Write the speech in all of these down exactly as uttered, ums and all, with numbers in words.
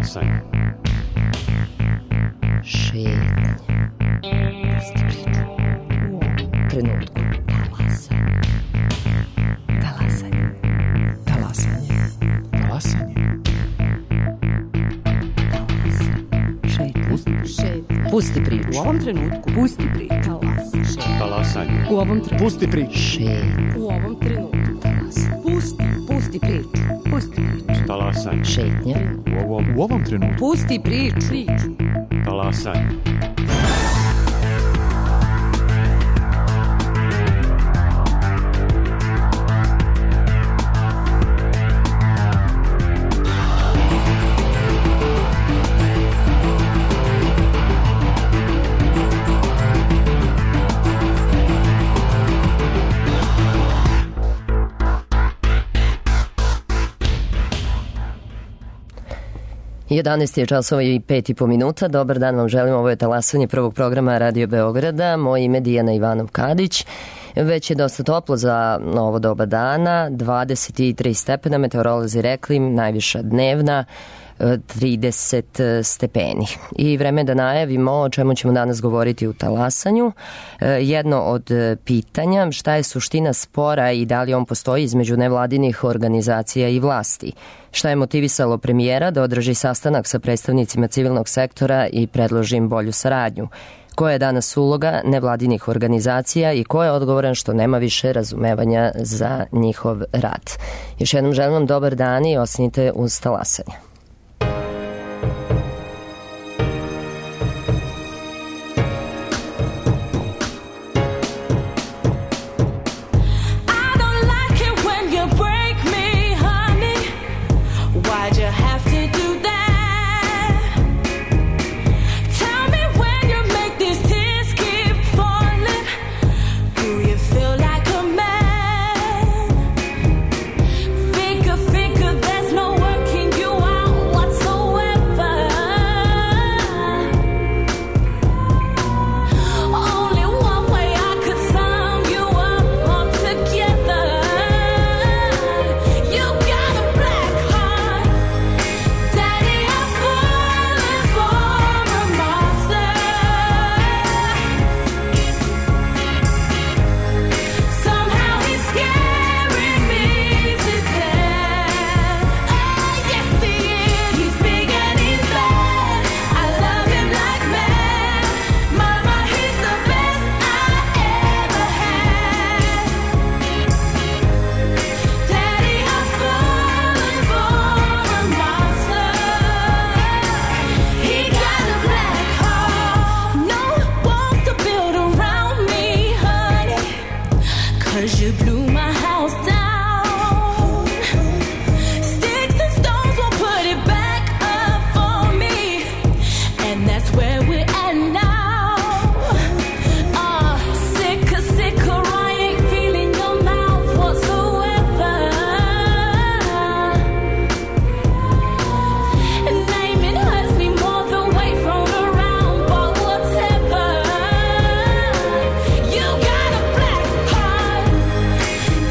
Talasanje. Šetnje. Pusti priču. U ovom trenutku. Talasanje. Talasanje. Talasanje. Talasanje. Šetnje. Šetnje. Pusti priču. U ovom trenutku. Pusti priču. Talasanje. Talasanje. U ovom trenutku. Pusti priču. Šetnje. U ovom trenutku. Talasanje. Pusti. Pusti priču. Pusti priču. Talasanje. Šetnje. U ovom, U ovom trenutku. Pusti priču. Priču. talasanje. jedanaest je časova i pet i po minuta. Dobar dan vam želim. Ovo je talasanje prvog programa Radio Beograda. Moje ime je Dijana Ivanov-Kadić. Već je dosta toplo za ovo doba dana. dvadeset tri stepena, meteorolozi rekli, najviša dnevna, trideset stepeni. I vreme je da najavimo o čemu ćemo danas govoriti u talasanju. Jedno od pitanja, šta je suština spora i da li on postoji između nevladinih organizacija i vlasti? Šta je motivisalo premijera da održi sastanak sa predstavnicima civilnog sektora i predloži im bolju saradnju? Koja je danas uloga nevladinih organizacija i ko je odgovoran što nema više razumevanja za njihov rad? Još jednom želim vam dobar dan i ostanite uz talasanje.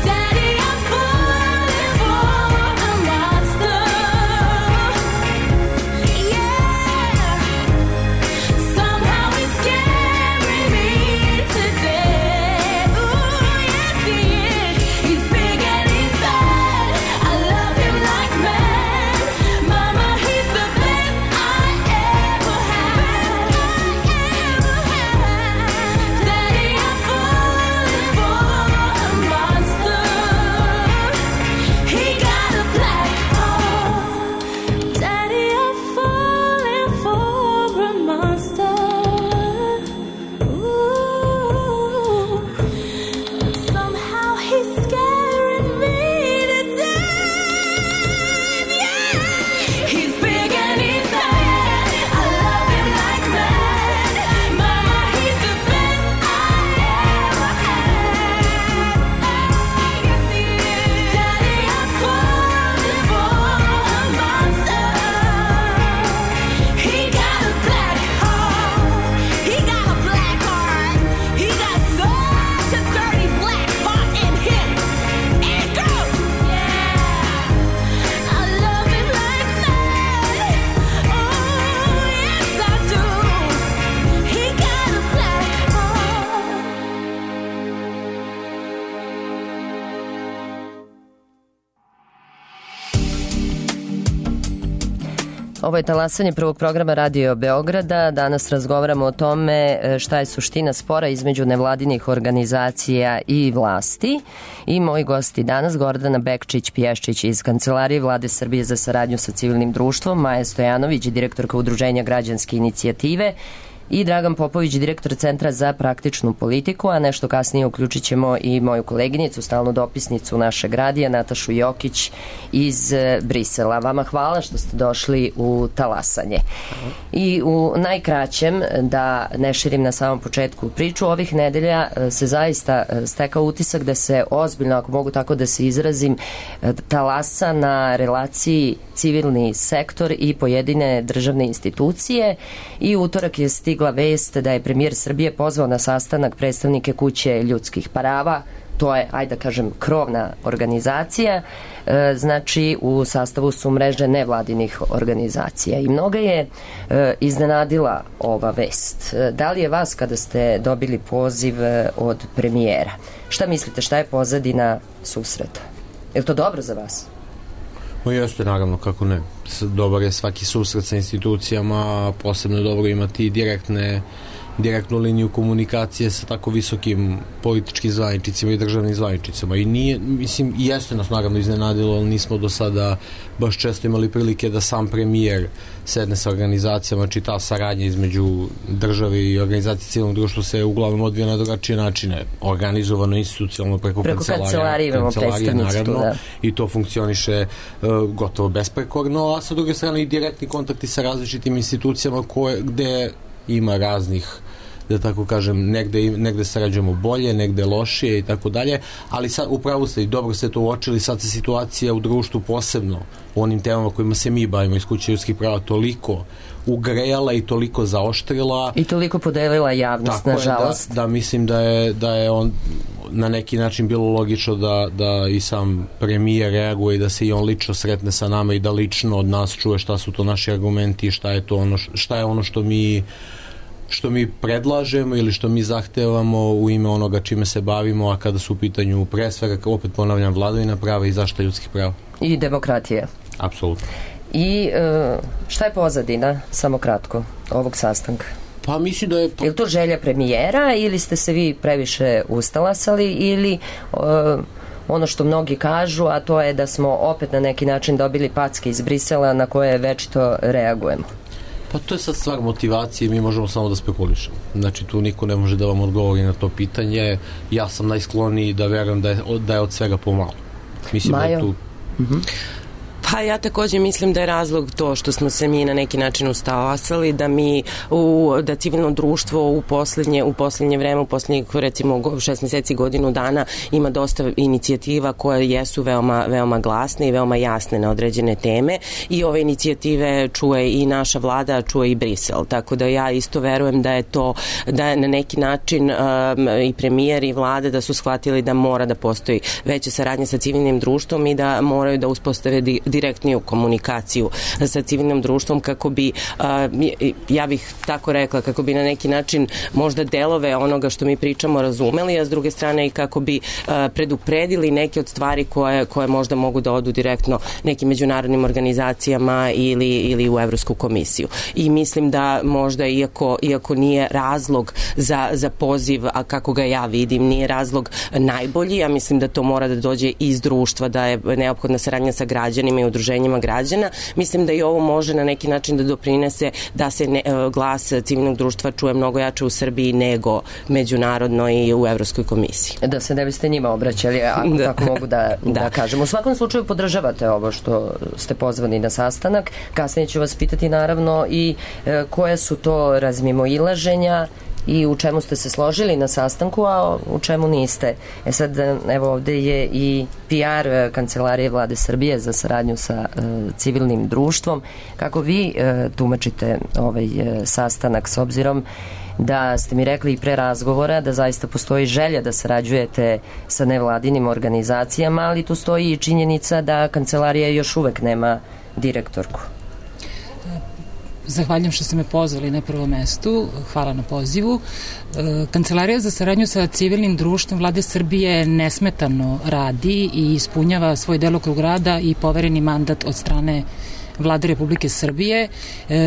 Daddy, Ovo je talasanje prvog programa Radio Beograda. Danas razgovaramo o tome šta je suština spora između nevladinih organizacija i vlasti. I moji gosti danas, Gordana Bekčić-Pješčić iz Kancelarije Vlade Srbije za saradnju sa civilnim društvom, Maja Stojanović, direktorka Udruženja Građanske inicijative, i Dragan Popović, direktor Centra za praktičnu politiku, a nešto kasnije uključit ćemo i moju koleginicu, stalnu dopisnicu našeg radija, Natašu Jokić iz Brisela. Vama hvala što ste došli u talasanje. I u najkraćem, da ne širim na samom početku priču, ovih nedelja se zaista stekao utisak da se ozbiljno, ako mogu tako da se izrazim, talasa na relaciji civilni sektor i pojedine državne institucije. I utorak je stigla vest da je premijer Srbije pozvao na sastanak predstavnike Kuće ljudskih prava. To je, ajde da kažem, krovna organizacija, e, znači u sastavu su mreže nevladinih organizacija. I mnoga je e, iznenadila ova vest. E, da li je vas, kada ste dobili poziv e, od premijera, šta mislite, šta je pozadina susreta? Je li to dobro za vas? No jeste, naravno, kako ne. Dobar je svaki susret sa institucijama, posebno je dobro imati direktne, direktnu liniju komunikacije sa tako visokim političkim zvaničnicima i državnim zvaničnicima. I nije, mislim, jeste nas naravno iznenadilo, ali nismo do sada baš često imali prilike da sam premijer sedne sa organizacijama, či ta saradnja između države i organizacije civilnog društva se uglavnom odvija na drugačije načine. Organizovano, institucionalno, preko, preko kancelarije, kancelarije naravno, da. I to funkcioniše uh, gotovo besprekorno, a sa druge strane i direktni kontakti sa različitim institucijama koje, gde ima raznih, da tako kažem, negde, negde sarađujemo bolje, negde lošije i tako dalje, ali sad upravo ste i dobro ste to uočili, sad se situacija u društvu posebno u onim temama kojima se mi bavimo iz Kuće ljudskih prava toliko ugrejala i toliko zaoštrila i toliko podelila javnost, nažalost. Da, da mislim da je, da je on na neki način bilo logično da, da i sam premijer reaguje i da se i on lično sretne sa nama i da lično od nas čuje šta su to naši argumenti i šta je to ono, šta je ono što mi što mi predlažemo ili što mi zahtevamo u ime onoga čime se bavimo, a kada su u pitanju pre svega, opet ponavljam, vladavina prava i zaštita ljudskih prava. I demokratija. Apsolutno. I šta je pozadina, samo kratko, ovog sastanka? Pa mislim da je... Je li to želja premijera ili ste se vi previše ustalasali ili uh, ono što mnogi kažu, a to je da smo opet na neki način dobili packe iz Brisela na koje večito reagujemo? Pa to je sad stvar motivacije, mi možemo samo da spekulišemo. Znači tu niko ne može da vam odgovori na to pitanje. Ja sam najskloniji da verujem da je, da je od svega pomalo. Mislim Majo? Da je tu... Uh-huh. Pa ja takođe mislim da je razlog to što smo se mi na neki način ustalasali, da mi u, da civilno društvo u poslednje, u poslednje vreme, u poslednjih recimo šest meseci, godinu dana ima dosta inicijativa koje jesu veoma, veoma glasne i veoma jasne na određene teme i ove inicijative čuje i naša vlada, čuje i Brisel. Tako da ja isto verujem da je to, da je na neki način um, i premijer i vlada da su shvatili da mora da postoji veća saradnja sa civilnim društvom i da moraju da uspostave di, direktniju komunikaciju sa civilnim društvom kako bi, ja bih tako rekla, kako bi na neki način možda delove onoga što mi pričamo razumeli, a s druge strane i kako bi predupredili neke od stvari koje, koje možda mogu da odu direktno nekim međunarodnim organizacijama ili, ili u Evropsku komisiju. I mislim da možda iako, iako nije razlog za, za poziv, a kako ga ja vidim, nije razlog najbolji, ja mislim da to mora da dođe iz društva, da je neophodna saradnja sa građanima i udruženjima građana. Mislim da i ovo može na neki način da doprinese da se ne, glas civilnog društva čuje mnogo jače u Srbiji nego međunarodno i u Evropskoj komisiji. Da se ne biste njima obraćali, ako da. Tako mogu da, da. da kažem. U svakom slučaju podržavate ovo što ste pozvani na sastanak. Kasnije ću vas pitati naravno i e, koje su to razmimoilaženja i u čemu ste se složili na sastanku, a u čemu niste. E sad, evo ovde je i P R Kancelarije Vlade Srbije za saradnju sa e, civilnim društvom. Kako vi e, tumačite ovaj e, sastanak, s obzirom da ste mi rekli i pre razgovora da zaista postoji želja da sarađujete sa nevladinim organizacijama, ali tu stoji i činjenica da Kancelarija još uvek nema direktorku. Zahvaljujem što ste me pozvali na prvom mestu. Hvala na pozivu. Kancelarija za saradnju sa civilnim društvom Vlade Srbije nesmetano radi i ispunjava svoj delokrug rada i povereni mandat od strane Vlade Republike Srbije.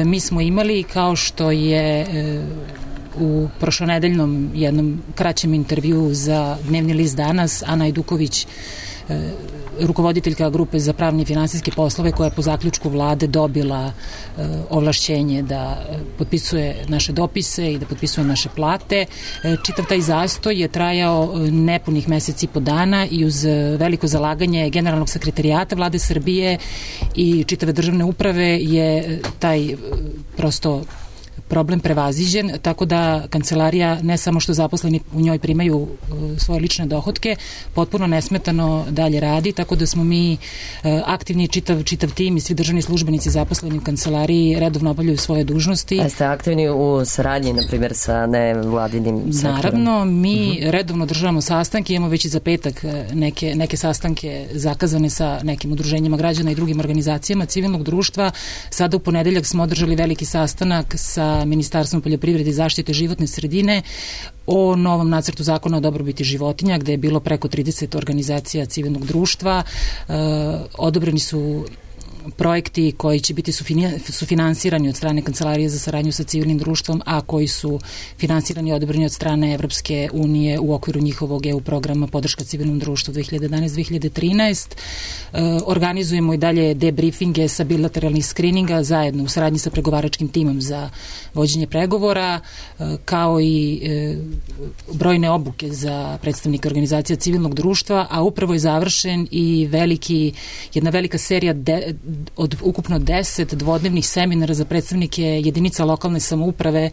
Mi smo imali, kao što je u prošlonedeljnom jednom kraćem intervju za Dnevni list Danas Ana Ajduković, rukovoditeljka grupe za pravne i finansijske poslove, koja je po zaključku vlade dobila e, ovlašćenje da potpisuje naše dopise i da potpisuje naše plate. E, čitav taj zastoj je trajao nepunih meseci i po dana i uz veliko zalaganje generalnog sekretarijata Vlade Srbije i čitave državne uprave je taj prosto problem prevaziđen, tako da kancelarija ne samo što zaposleni u njoj primaju uh, svoje lične dohotke, potpuno nesmetano dalje radi, tako da smo mi uh, aktivni, čitav, čitav tim i svi državni službenici zaposleni u kancelariji redovno obavljaju svoje dužnosti. A ste aktivni u saradnji, na primjer, sa nevladinim sektorom? Naravno, mi uh-huh. redovno državamo sastanke, imamo već i za petak neke, neke sastanke zakazane sa nekim udruženjima građana i drugim organizacijama civilnog društva. Sada u ponedeljak smo održali veliki sastanak sa Ministarstvom poljoprivrede i zaštite životne sredine o novom nacrtu zakona o dobrobiti životinja, gde je bilo preko trideset organizacija civilnog društva. E, odobreni su projekti koji će biti sufinansirani od strane Kancelarije za saradnju sa civilnim društvom, a koji su finansirani i odobreni od strane Evropske unije u okviru njihovog E U programa Podrška civilnom društvu dve hiljade jedanaeste do dve hiljade trinaeste. E, organizujemo i dalje debriefinge sa bilateralnih skrininga zajedno u saradnji sa pregovaračkim timom za vođenje pregovora, e, kao i e, brojne obuke za predstavnike organizacija civilnog društva, a upravo je završen i veliki, jedna velika serija de, od ukupno deset dvodnevnih seminara za predstavnike jedinica lokalne samouprave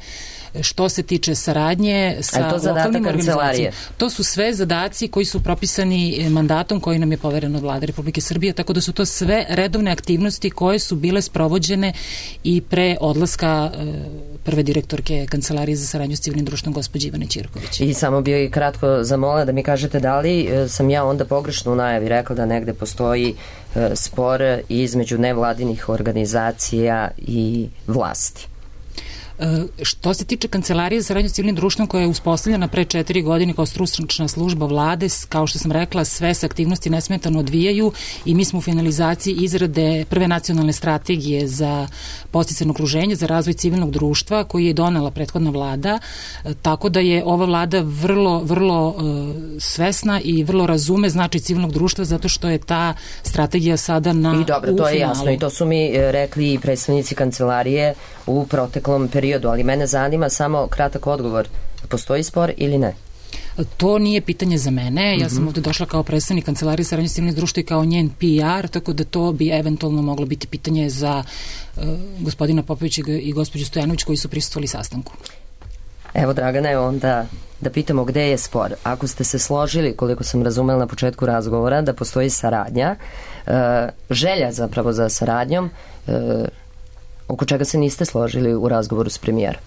što se tiče saradnje sa lokalnim organizacijama. To su sve zadaci koji su propisani mandatom koji nam je poveren od Vlade Republike Srbije, tako da su to sve redovne aktivnosti koje su bile sprovođene i pre odlaska prve direktorke Kancelarije za saradnju s civilnim društvom gospođe Ivane Ćirković. I samo bih kratko zamolila da mi kažete da li sam ja onda pogrešno u najavi rekla da negde postoji spor između nevladinih organizacija i vlasti. Što se tiče Kancelarije za saradnju s civilnim društvom, koja je uspostavljena pre četiri godine kao stručna služba vlade, kao što sam rekla, sve se aktivnosti nesmetano odvijaju i mi smo u finalizaciji izrade prve nacionalne strategije za podsticajno okruženje, za razvoj civilnog društva, koji je donela prethodna vlada, tako da je ova vlada vrlo, vrlo uh, svesna i vrlo razume značaj civilnog društva, zato što je ta strategija sada na I dobro, to je jasno i to su mi rekli i predstavnici Kancelarije u proteklom periodu, ali mene zanima samo kratak odgovor. Postoji spor ili ne? To nije pitanje za mene. Ja sam ovde došla kao predstavnik Kancelarije saradnje s civilnim društvom i kao njen P R, tako da to bi eventualno moglo biti pitanje za uh, gospodina Popovića i gospođu Stojanović koji su prisustvovali sastanku. Evo, Dragane, onda da pitamo gde je spor. Ako ste se složili, koliko sam razumela na početku razgovora, da postoji saradnja, uh, želja zapravo za saradnjom, uh, oko čega se niste složili u razgovoru s premijerom?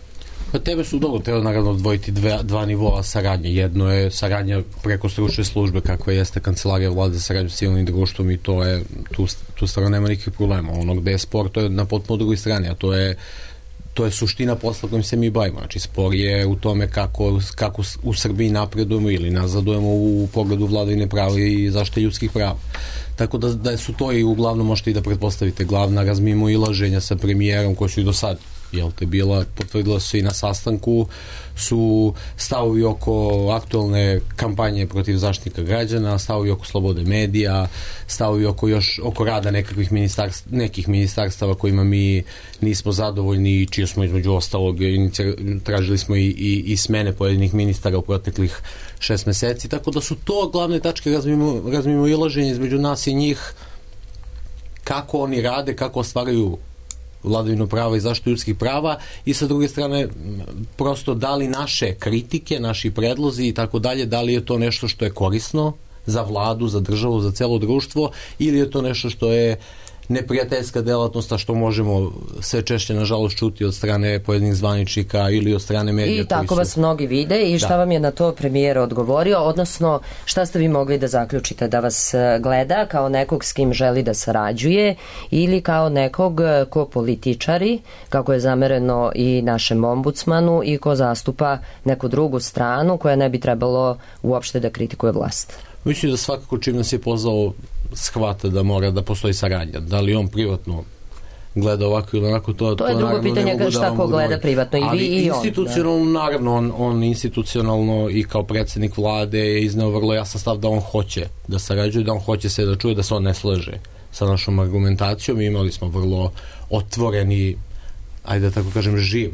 Pa tebe su dobro, treba naravno odvojiti dva, dva nivoa saradnje. Jedno je saradnja preko stručne službe kakva jeste Kancelarija vlade za saradnju s civilnim društvom i to je, tu, tu stvarno nema nikakvih problema. Ono gde je spor, to je na potpuno drugoj strani, a to je to je suština posla kojim se mi bavimo. Znači, spor je u tome kako, kako u Srbiji napredujemo ili nazadujemo u pogledu vladavine prava i zaštite ljudskih prava. Tako da, da su to i uglavnom možete i da pretpostavite glavna razmimo ilaženja sa premijerom koji su i do sad jel te bila, potvrdila se i na sastanku, su stavovi oko aktualne kampanje protiv zaštitnika građana, stavovi oko slobode medija, stavovi oko još oko rada nekakvih ministarstv, nekih ministarstava kojima mi nismo zadovoljni i čije smo između ostalog tražili smo i, i, i smene pojedinih ministara u proteklih šest meseci, tako da su to glavne tačke razmimo, razmimo ilaženja između nas i njih, kako oni rade, kako ostvaraju vladavinu prava i zaštitu ljudskih prava i sa druge strane prosto da li naše kritike, naši predlozi i tako dalje, da li je to nešto što je korisno za vladu, za državu, za celo društvo ili je to nešto što je neprijateljska delatnost, a što možemo sve češće nažalost čuti od strane pojedinih zvaničnika ili od strane medija. I tako su... vas mnogi vide i šta da. vam je na to premijer odgovorio, odnosno šta ste vi mogli da zaključite, da vas gleda kao nekog s kim želi da sarađuje ili kao nekog ko političari, kako je zamereno i našem ombudsmanu i ko zastupa neku drugu stranu koja ne bi trebalo uopšte da kritikuje vlast? Mislim da svakako čim nas je pozvao shvata da mora da postoji saradnja. Da li on privatno gleda ovako ili onako, to, to je to drugo pitanje da šta ko gleda privatno, i vi i on. Ali institucionalno, da. naravno, on, on institucionalno i kao predsjednik vlade je izneo vrlo jasan stav da on hoće da sarađuje, da on hoće se da čuje, da se on ne slaže sa našom argumentacijom. Imali smo vrlo otvoreni, ajde da tako kažem, živ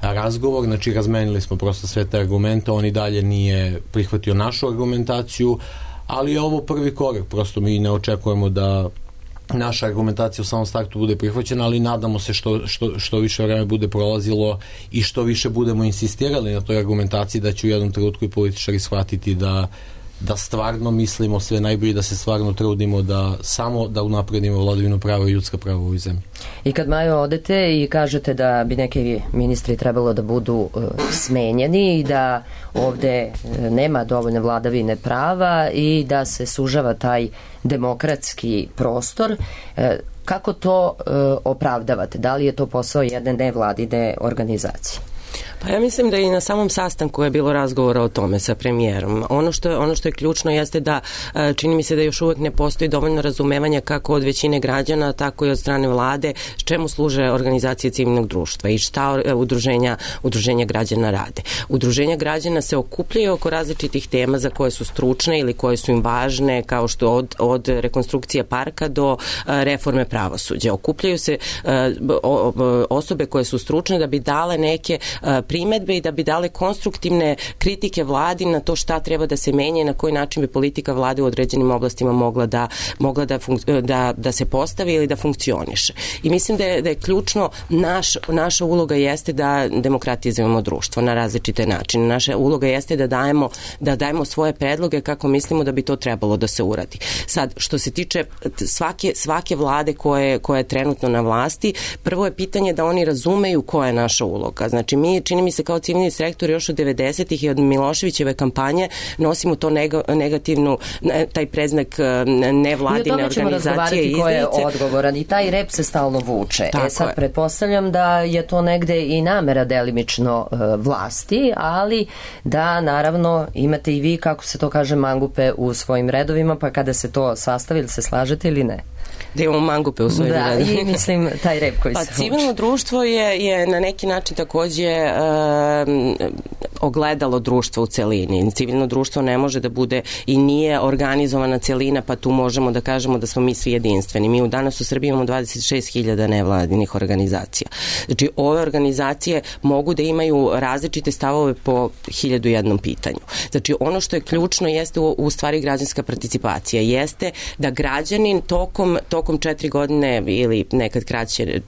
razgovor, znači razmenili smo prosto sve te argumente, on i dalje nije prihvatio našu argumentaciju, ali je ovo prvi korak, prosto mi ne očekujemo da naša argumentacija u samom startu bude prihvaćena, ali nadamo se što, što, što više vreme bude prolazilo i što više budemo insistirali na toj argumentaciji, da će u jednom trenutku i političari shvatiti da da stvarno mislimo sve najbolje, da se stvarno trudimo da samo da unapredimo vladavinu prava i ljudska prava u ovoj zemlji. I kad, Majo, odete i kažete da bi neki ministri trebalo da budu uh, smenjeni i da ovde uh, nema dovoljne vladavine prava i da se sužava taj demokratski prostor, uh, kako to uh, opravdavate? Da li je to posao jedne nevladine organizacije? Pa ja mislim da i na samom sastanku je bilo razgovora o tome sa premijerom. Ono što je, ono što je ključno jeste da čini mi se da još uvek ne postoji dovoljno razumevanja kako od većine građana, tako i od strane vlade, s čemu služe organizacije civilnog društva i šta udruženja, udruženja građana rade. Udruženja građana se okupljaju oko različitih tema za koje su stručne ili koje su im važne, kao što od, od rekonstrukcije parka do reforme pravosuđa. Okupljaju se osobe koje su stručne da bi dale neke primedbe i da bi dale konstruktivne kritike vladi na to šta treba da se menja i na koji način bi politika vlade u određenim oblastima mogla da, mogla da, funk- da, da se postavi ili da funkcioniše. I mislim da je, da je ključno, naš, naša uloga jeste da demokratizujemo društvo na različite načine. Naša uloga jeste da dajemo, da dajemo svoje predloge kako mislimo da bi to trebalo da se uradi. Sad, što se tiče svake, svake vlade koje, koja je trenutno na vlasti, prvo je pitanje da oni razumeju koja je naša uloga. Znači, mi, čini mi se, kao civilni sektor još od devedesetih i od Miloševićeve kampanje nosimo to negativnu, taj preznak nevladine organizacije i ko je odgovoran i taj rep se stalno vuče. Tako e sad je. Pretpostavljam da je to negde i namera delimično uh, vlasti, ali da naravno imate i vi, kako se to kaže, mangupe u svojim redovima, pa kada se to sastavi, ili se slažete ili ne? Da imamo mangupe u svojim redovima. Da, i mislim taj rep koji pa, se civilno vuče. Društvo je, je na neki način takođe uh, ogledalo društva u celini. Civilno društvo ne može da bude i nije organizovana celina, pa tu možemo da kažemo da smo mi svi jedinstveni. Mi u danas u Srbiji imamo dvadeset šest hiljada nevladinih organizacija. Znači, ove organizacije mogu da imaju različite stavove po hiljadu jednom pitanju. Znači, ono što je ključno jeste u, u stvari građanska participacija. Jeste da građanin tokom, tokom četiri godine ili nekad kraće,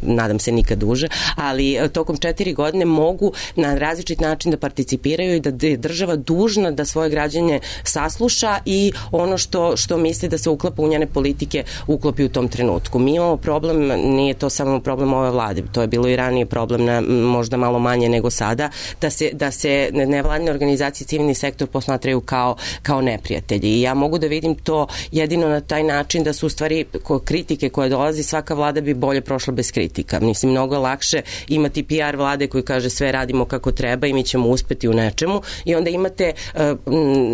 nadam se nikad duže, ali tokom četiri godine mogu na različit način da participiraju i da je država dužna da svoje građane sasluša i ono što, što misli da se uklapa u njene politike uklopi u tom trenutku. Mi imamo problem, nije to samo problem ove vlade, to je bilo i ranije problem, na, možda malo manje nego sada, da se, da se nevladine organizacije, civilni sektor posmatraju kao, kao neprijatelji. I ja mogu da vidim to jedino na taj način da su u stvari kritike koje dolazi, svaka vlada bi bolje prošla bez kritika. Mislim, mnogo lakše imati P R vlade koji kaže sve radimo kako treba i mi ćemo uspeti u nečemu, i onda imate uh,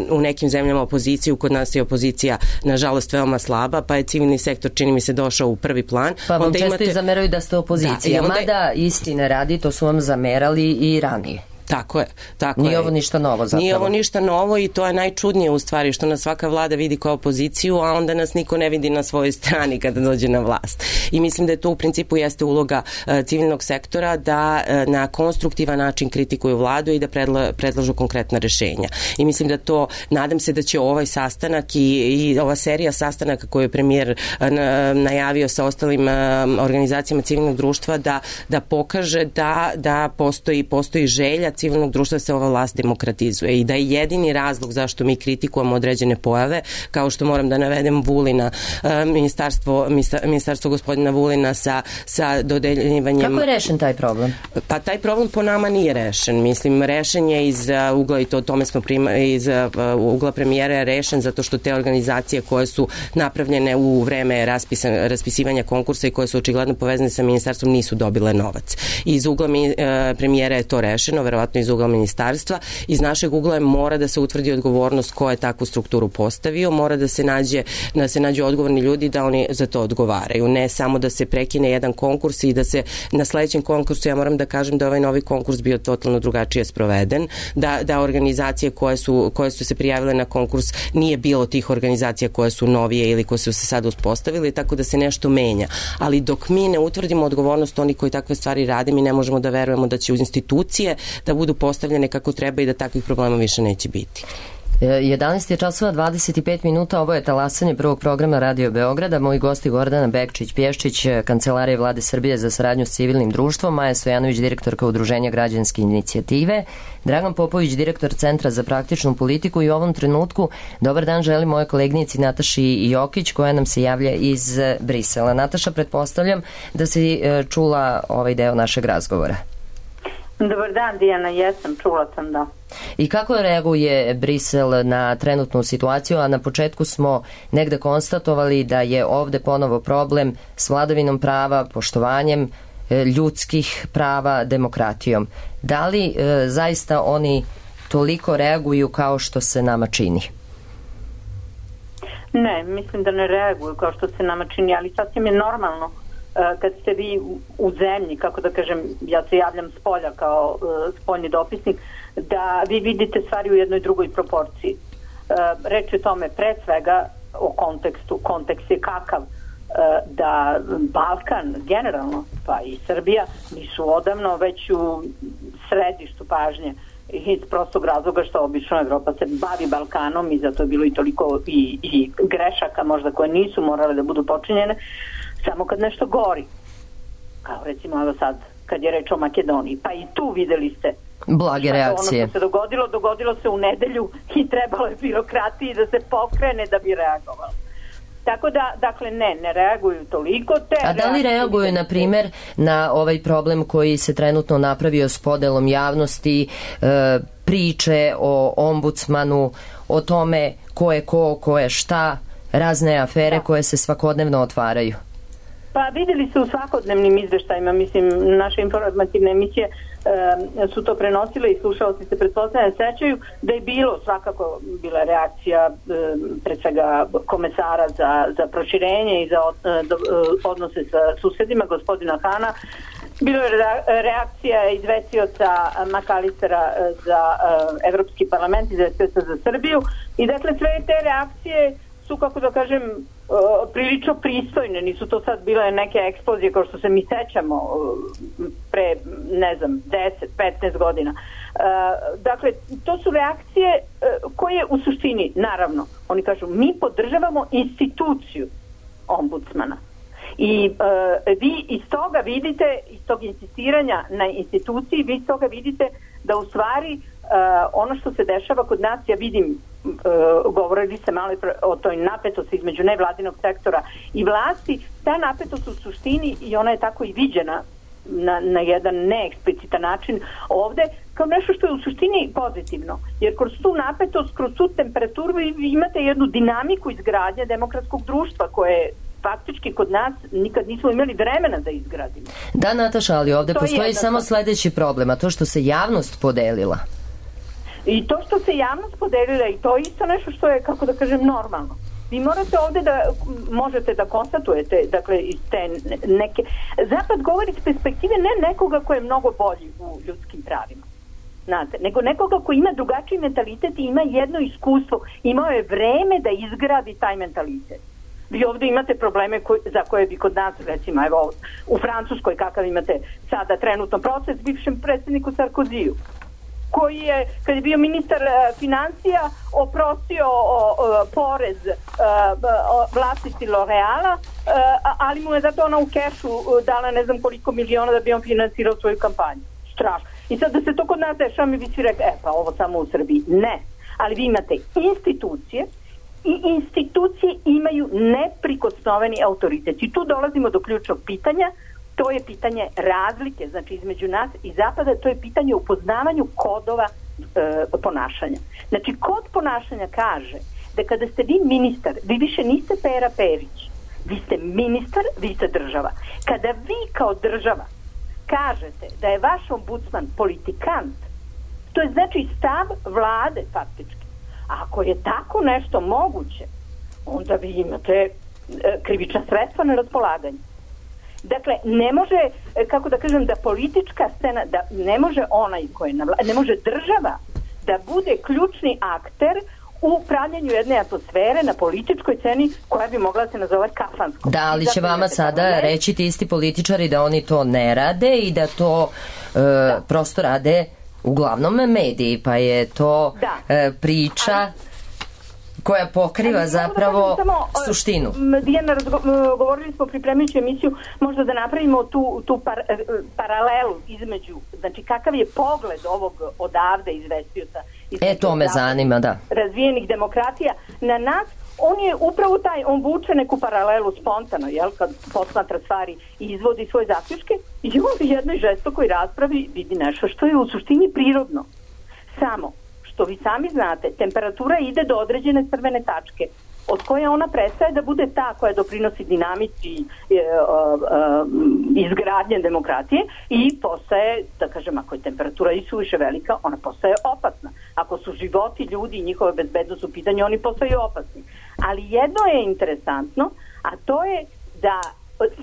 u nekim zemljama opoziciju, kod nas je opozicija nažalost veoma slaba, pa je civilni sektor, čini mi se, došao u prvi plan. Pa vam onda često imate... i zameraju da ste opozicija, da, onda... mada istine radi, to su vam zamerali i ranije. Tako je, tako Nije je. ovo ništa novo zapravo. Nije ovo ništa novo i to je najčudnije u stvari, što nas svaka vlada vidi kao opoziciju, a onda nas niko ne vidi na svojoj strani kada dođe na vlast. I mislim da je to u principu jeste uloga uh, civilnog sektora, da uh, na konstruktivan način kritikuju vladu i da predla, predlažu konkretna rešenja. I mislim da to, nadam se da će ovaj sastanak i, i ova serija sastanaka koju je premijer uh, najavio sa ostalim uh, organizacijama civilnog društva, da, da pokaže da, da postoji, postoji želja civilnog društva da se ova vlast demokratizuje i da je jedini razlog zašto mi kritikujemo određene pojave, kao što moram da navedem Vulina, ministarstvo, ministarstvo gospodina Vulina sa, sa dodeljivanjem... Kako je rešen taj problem? Pa taj problem po nama nije rešen. Mislim, rešen je iz ugla, i to o tome smo prima, iz ugla premijera je rešen zato što te organizacije koje su napravljene u vreme raspisan, raspisivanja konkursa i koje su očigledno povezane sa ministarstvom nisu dobile novac. Iz ugla mi, premijera je to rešeno, verovatno verovatno iz ugla ministarstva. Iz našeg ugla mora da se utvrdi odgovornost ko je takvu strukturu postavio, mora da se nađe, da se nađe odgovorni ljudi da oni za to odgovaraju. Ne samo da se prekine jedan konkurs i da se na sledećem konkursu, ja moram da kažem da ovaj novi konkurs bio totalno drugačije sproveden, da, da organizacije koje su, koje su se prijavile na konkurs nije bilo tih organizacija koje su novije ili koje su se sad uspostavili, tako da se nešto menja. Ali dok mi ne utvrdimo odgovornost oni koji takve stvari rade, mi ne možemo da verujemo da će uz institucije da budu postavljene kako treba i da takvih problema više neće biti. jedanaest je časova dvadeset pet minuta, ovo je talasanje prvog programa Radio Beograda. Moji gosti Gordana Bekčić-Pješčić, Kancelarije Vlade Srbije za saradnju s civilnim društvom, Maja Stojanović, direktorka Udruženja Građanske inicijative, Dragan Popović, direktor Centra za praktičnu politiku i u ovom trenutku dobar dan želim moje kolegnici Nataši Jokić koja nam se javlja iz Brisela. Nataša, pretpostavljam da si čula ovaj deo našeg razgovora. Dobar dan, Dijana, jesam, čula sam, da. I kako reaguje Brisel na trenutnu situaciju, a na početku smo negde konstatovali da je ovde ponovo problem s vladavinom prava, poštovanjem ljudskih prava, demokratijom. Da li e, zaista oni toliko reaguju kao što se nama čini? Ne, mislim da ne reaguju kao što se nama čini, ali sasvim je normalno kad ste vi u zemlji, kako da kažem, ja se javljam s polja kao uh, spoljni dopisnik, da vi vidite stvari u jednoj drugoj proporciji. Uh, reč je o tome pre svega o kontekstu. Kontekst je kakav uh, da Balkan generalno, pa i Srbija, nisu odavno već u središtu pažnje iz prostog razloga što obično Evropa se bavi Balkanom i zato je bilo i toliko i, i grešaka možda koje nisu morale da budu počinjene samo kad nešto gori. Kao recimo evo sad kad je reč o Makedoniji. Pa i tu videli ste blage reakcije. Ono što se dogodilo, dogodilo se u nedelju i trebalo je birokratiji da se pokrene da bi reagovalo. Tako da, dakle, ne, ne reaguju toliko. Te A da li reaguju, na primer, na ovaj problem koji se trenutno napravio s podelom javnosti, e, priče o ombudsmanu, o tome ko je ko, ko je šta, razne afere da. koje se svakodnevno otvaraju? Pa videli su u svakodnevnim izveštajima, mislim, naše informativne emisije e, su to prenosile i slušalci se pretpostavljaju sećaju da je bilo svakako bila reakcija e, pred svega komesara za, za proširenje i za od, e, odnose sa susedima, gospodina Hana. Bilo je reakcija izvestioca Makalistera za e, Evropski parlament, izvestioca za Srbiju i dakle sve te reakcije su, kako da kažem, prilično pristojne, nisu to sad bile neke eksplozije kao što se mi sećamo pre, ne znam, deset petnaest godina. Dakle, to su reakcije koje u suštini, naravno, oni kažu, mi podržavamo instituciju ombudsmana. I vi iz toga vidite, iz tog insistiranja na instituciji, vi iz toga vidite da u stvari ono što se dešava kod nas, ja vidim, Uh, govorili se malo o toj napetosti između nevladinog sektora i vlasti, ta napetost u suštini i ona je tako i viđena na, na jedan neeksplicitan način ovde kao nešto što je u suštini pozitivno, jer kroz tu napetost, kroz tu temperaturu vi imate jednu dinamiku izgradnje demokratskog društva koje faktički kod nas nikad nismo imali vremena da izgradimo. Da, Nataša, ali ovde to postoji samo sledeći problem, a to što se javnost podelila. I to što se javnost podelila i to je isto nešto što je, kako da kažem, normalno. Vi morate ovde da možete da konstatujete, dakle, iz te neke... Zapad govori iz perspektive ne nekoga ko je mnogo bolji u ljudskim pravima, znate, nego nekoga ko ima drugačiji mentalitet i ima jedno iskustvo. Imao je vreme da izgradi taj mentalitet. Vi ovde imate probleme koji, za koje bi kod nas, recimo, evo, u Francuskoj kakav imate sada trenutno proces bivšem predsjedniku Sarkoziju, koji je, kad je bio ministar uh, financija, oprostio o, o, porez uh, vlasnici L'Oreala, uh, ali mu je zato ona u kešu uh, dala ne znam koliko miliona da bi on finansirao svoju kampanju. Strašno. I sad da se to kod nas dešava, mi bi svi rekli, e pa ovo samo u Srbiji. Ne. Ali vi imate institucije i institucije imaju neprikosnoveni autoritet. I tu dolazimo do ključnog pitanja. To je pitanje razlike, znači između nas i Zapada, to je pitanje upoznavanju kodova e, ponašanja. Znači, kod ponašanja kaže da kada ste vi ministar, vi više niste Pera Perić, vi ste ministar, vi ste država. Kada vi kao država kažete da je vaš ombudsman politikant, To je znači stav vlade faktički. Ako je tako nešto moguće, onda vi imate e, krivična sredstva na raspolaganju. Dakle, ne može, kako da kažem, da politička scena, da ne može onaj koji je na vlasti, ne može država da bude ključni akter u pravljenju jedne atmosfere na političkoj sceni koja bi mogla da se nazove kafanskom. Da, ali će vama sada reći ti isti političari da oni to ne rade i da to e, da. prosto rade uglavnom mediji, pa je to da. e, priča... Ali, koja pokriva ali, zapravo da samo, suštinu. Dijana, govorili smo pripremajući emisiju, možda da napravimo tu, tu par, paralelu između, znači kakav je pogled ovog odavde izvestioca. E, to me zanima, da. Razvijenih demokratija na nas. On je upravo taj, on vuče neku paralelu spontano, jel, kad posmatra stvari i izvodi svoje zaključke i on u jednoj žestokoj raspravi vidi nešto što je u suštini prirodno. Samo što vi sami znate, temperatura ide do određene crvene tačke, od koje ona prestaje da bude ta koja doprinosi dinamici e, e, e, izgradnje demokratije i postaje, da kažem, ako je temperatura isuviše velika, ona postaje opasna. Ako su životi ljudi i njihove bezbednost u pitanju, oni postaju opasni. Ali jedno je interesantno, a to je da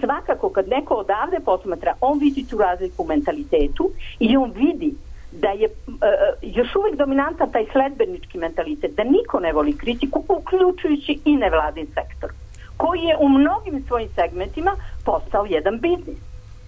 svakako kad neko odavde posmatra, on vidi tu razliku u mentalitetu i on vidi da je uh, još uvijek dominantan taj sledbenički mentalitet, da niko ne voli kritiku, uključujući i nevladin sektor, koji je u mnogim svojim segmentima postao jedan biznis.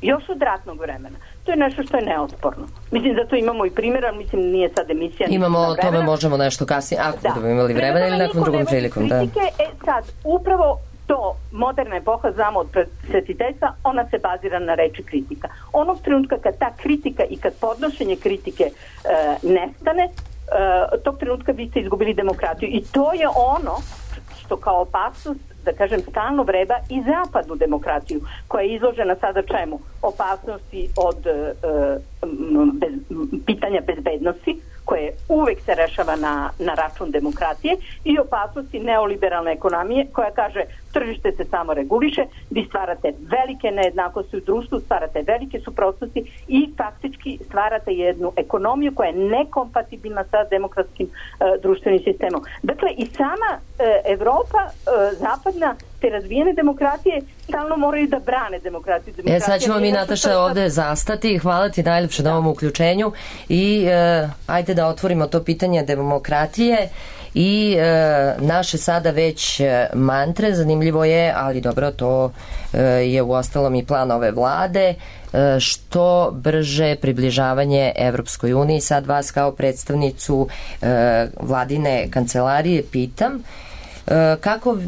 Još od ratnog vremena. To je nešto što je neosporno. Mislim da to imamo i primjera, mislim nije sad emisija. Imamo, o tome možemo nešto kasnije, ako da. budemo imali vremena ili nekom drugom prilikom. Kritike, da. E sad, upravo to, moderna epoha, znamo od presvetiteljstva, ona se bazira na reči kritika. Onog trenutka kad ta kritika i kad podnošenje kritike e, nestane, e, tog trenutka vi ste izgubili demokratiju. I to je ono što kao opasnost, da kažem, stalno vreba i zapadnu demokratiju, koja je izložena sada čemu? Opasnosti od e, bez, pitanja bezbednosti, koje uvek se rešava na, na račun demokratije, i opasnosti neoliberalne ekonomije koja kaže tržište se samo reguliše, vi stvarate velike nejednakosti u društvu, stvarate velike suprotnosti i faktički stvarate jednu ekonomiju koja je nekompatibilna sa demokratskim uh, društvenim sistemom. Dakle, i sama uh, Evropa, uh, zapadna, te razvijene demokratije stalno moraju da brane demokratiju. E, sad ćemo mi, Nataša, ovde zastati. Hvala ti najlepše na ovom uključenju i e, ajde da otvorimo to pitanje demokratije i e, naše sada već mantre. Zanimljivo je, ali dobro, to e, je u ostalom i plan ove vlade, e, što brže približavanje Evropskoj uniji. Sad vas kao predstavnicu e, vladine kancelarije pitam, kako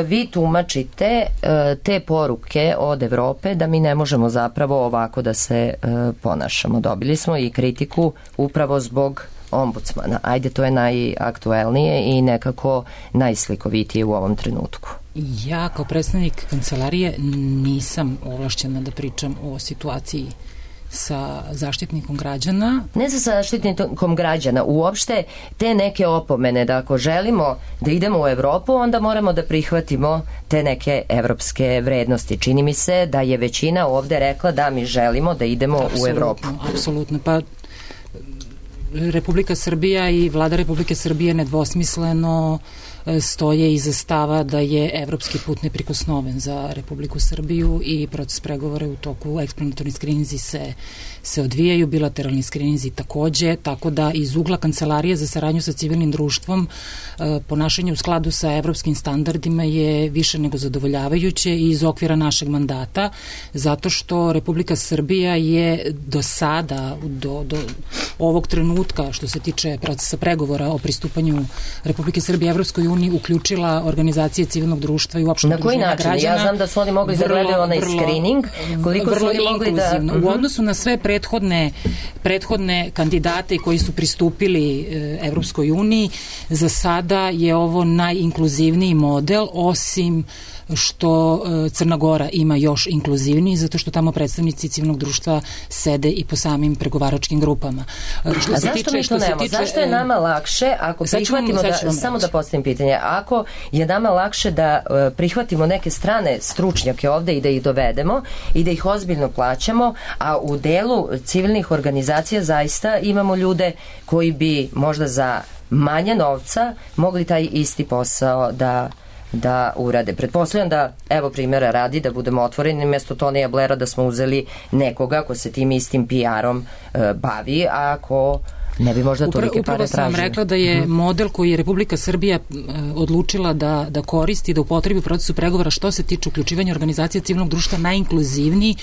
vi tumačite te poruke od Evrope da mi ne možemo zapravo ovako da se ponašamo? Dobili smo i kritiku upravo zbog ombudsmana. Ajde, to je najaktuelnije i nekako najslikovitije u ovom trenutku. Ja kao predstavnik kancelarije nisam ovlašćena da pričam o situaciji sa zaštitnikom građana. Ne sa zaštitnikom građana, uopšte te neke opomene da ako želimo da idemo u Evropu, onda moramo da prihvatimo te neke evropske vrednosti. Čini mi se da je većina ovde rekla da mi želimo da idemo apsolutno, u Evropu. Apsolutno, pa Republika Srbija i vlada Republike Srbije nedvosmisleno stoje iza stava da je evropski put neprikosnoven za Republiku Srbiju i proces pregovora u toku, eksplanatorni skrininzi se, se odvijaju, bilateralni skrininzi takođe, tako da iz ugla Kancelarije za saradnju sa civilnim društvom ponašanje u skladu sa evropskim standardima je više nego zadovoljavajuće i iz okvira našeg mandata, zato što Republika Srbija je do sada, do, do ovog trenutka, što se tiče procesa pregovora o pristupanju Republike Srbije Evropskoj uniji, uključila organizacije civilnog društva i uopšte udruženja građana. Na koji način? Ja znam da su oni mogli da gledaju onaj screening. Koliko su oni mogli da... U odnosu na sve prethodne, prethodne kandidate koji su pristupili e, Evropskoj uniji, za sada je ovo najinkluzivniji model, osim što Crna Gora ima još inkluzivniji, zato što tamo predstavnici civilnog društva sede i po samim pregovaračkim grupama. Što A zašto tiče, mi to nemo? Tiče, zašto je nama lakše ako prihvatimo da, samo da postavim pitanje, mišljenje. Ako je nama lakše da e, prihvatimo neke strane stručnjake ovde i da ih dovedemo i da ih ozbiljno plaćamo, a u delu civilnih organizacija zaista imamo ljude koji bi možda za manje novca mogli taj isti posao da da urade. Pretpostavljam da, evo primjera radi, da budemo otvoreni, mjesto Tonija Blaira da smo uzeli nekoga ko se tim istim P R-om e, bavi, a ako ne bi možda tolike pare tražili. Upravo sam vam rekla da je model koji je Republika Srbija e, odlučila da, da koristi, da upotrebi u procesu pregovora što se tiče uključivanja organizacije civilnog društva najinkluzivniji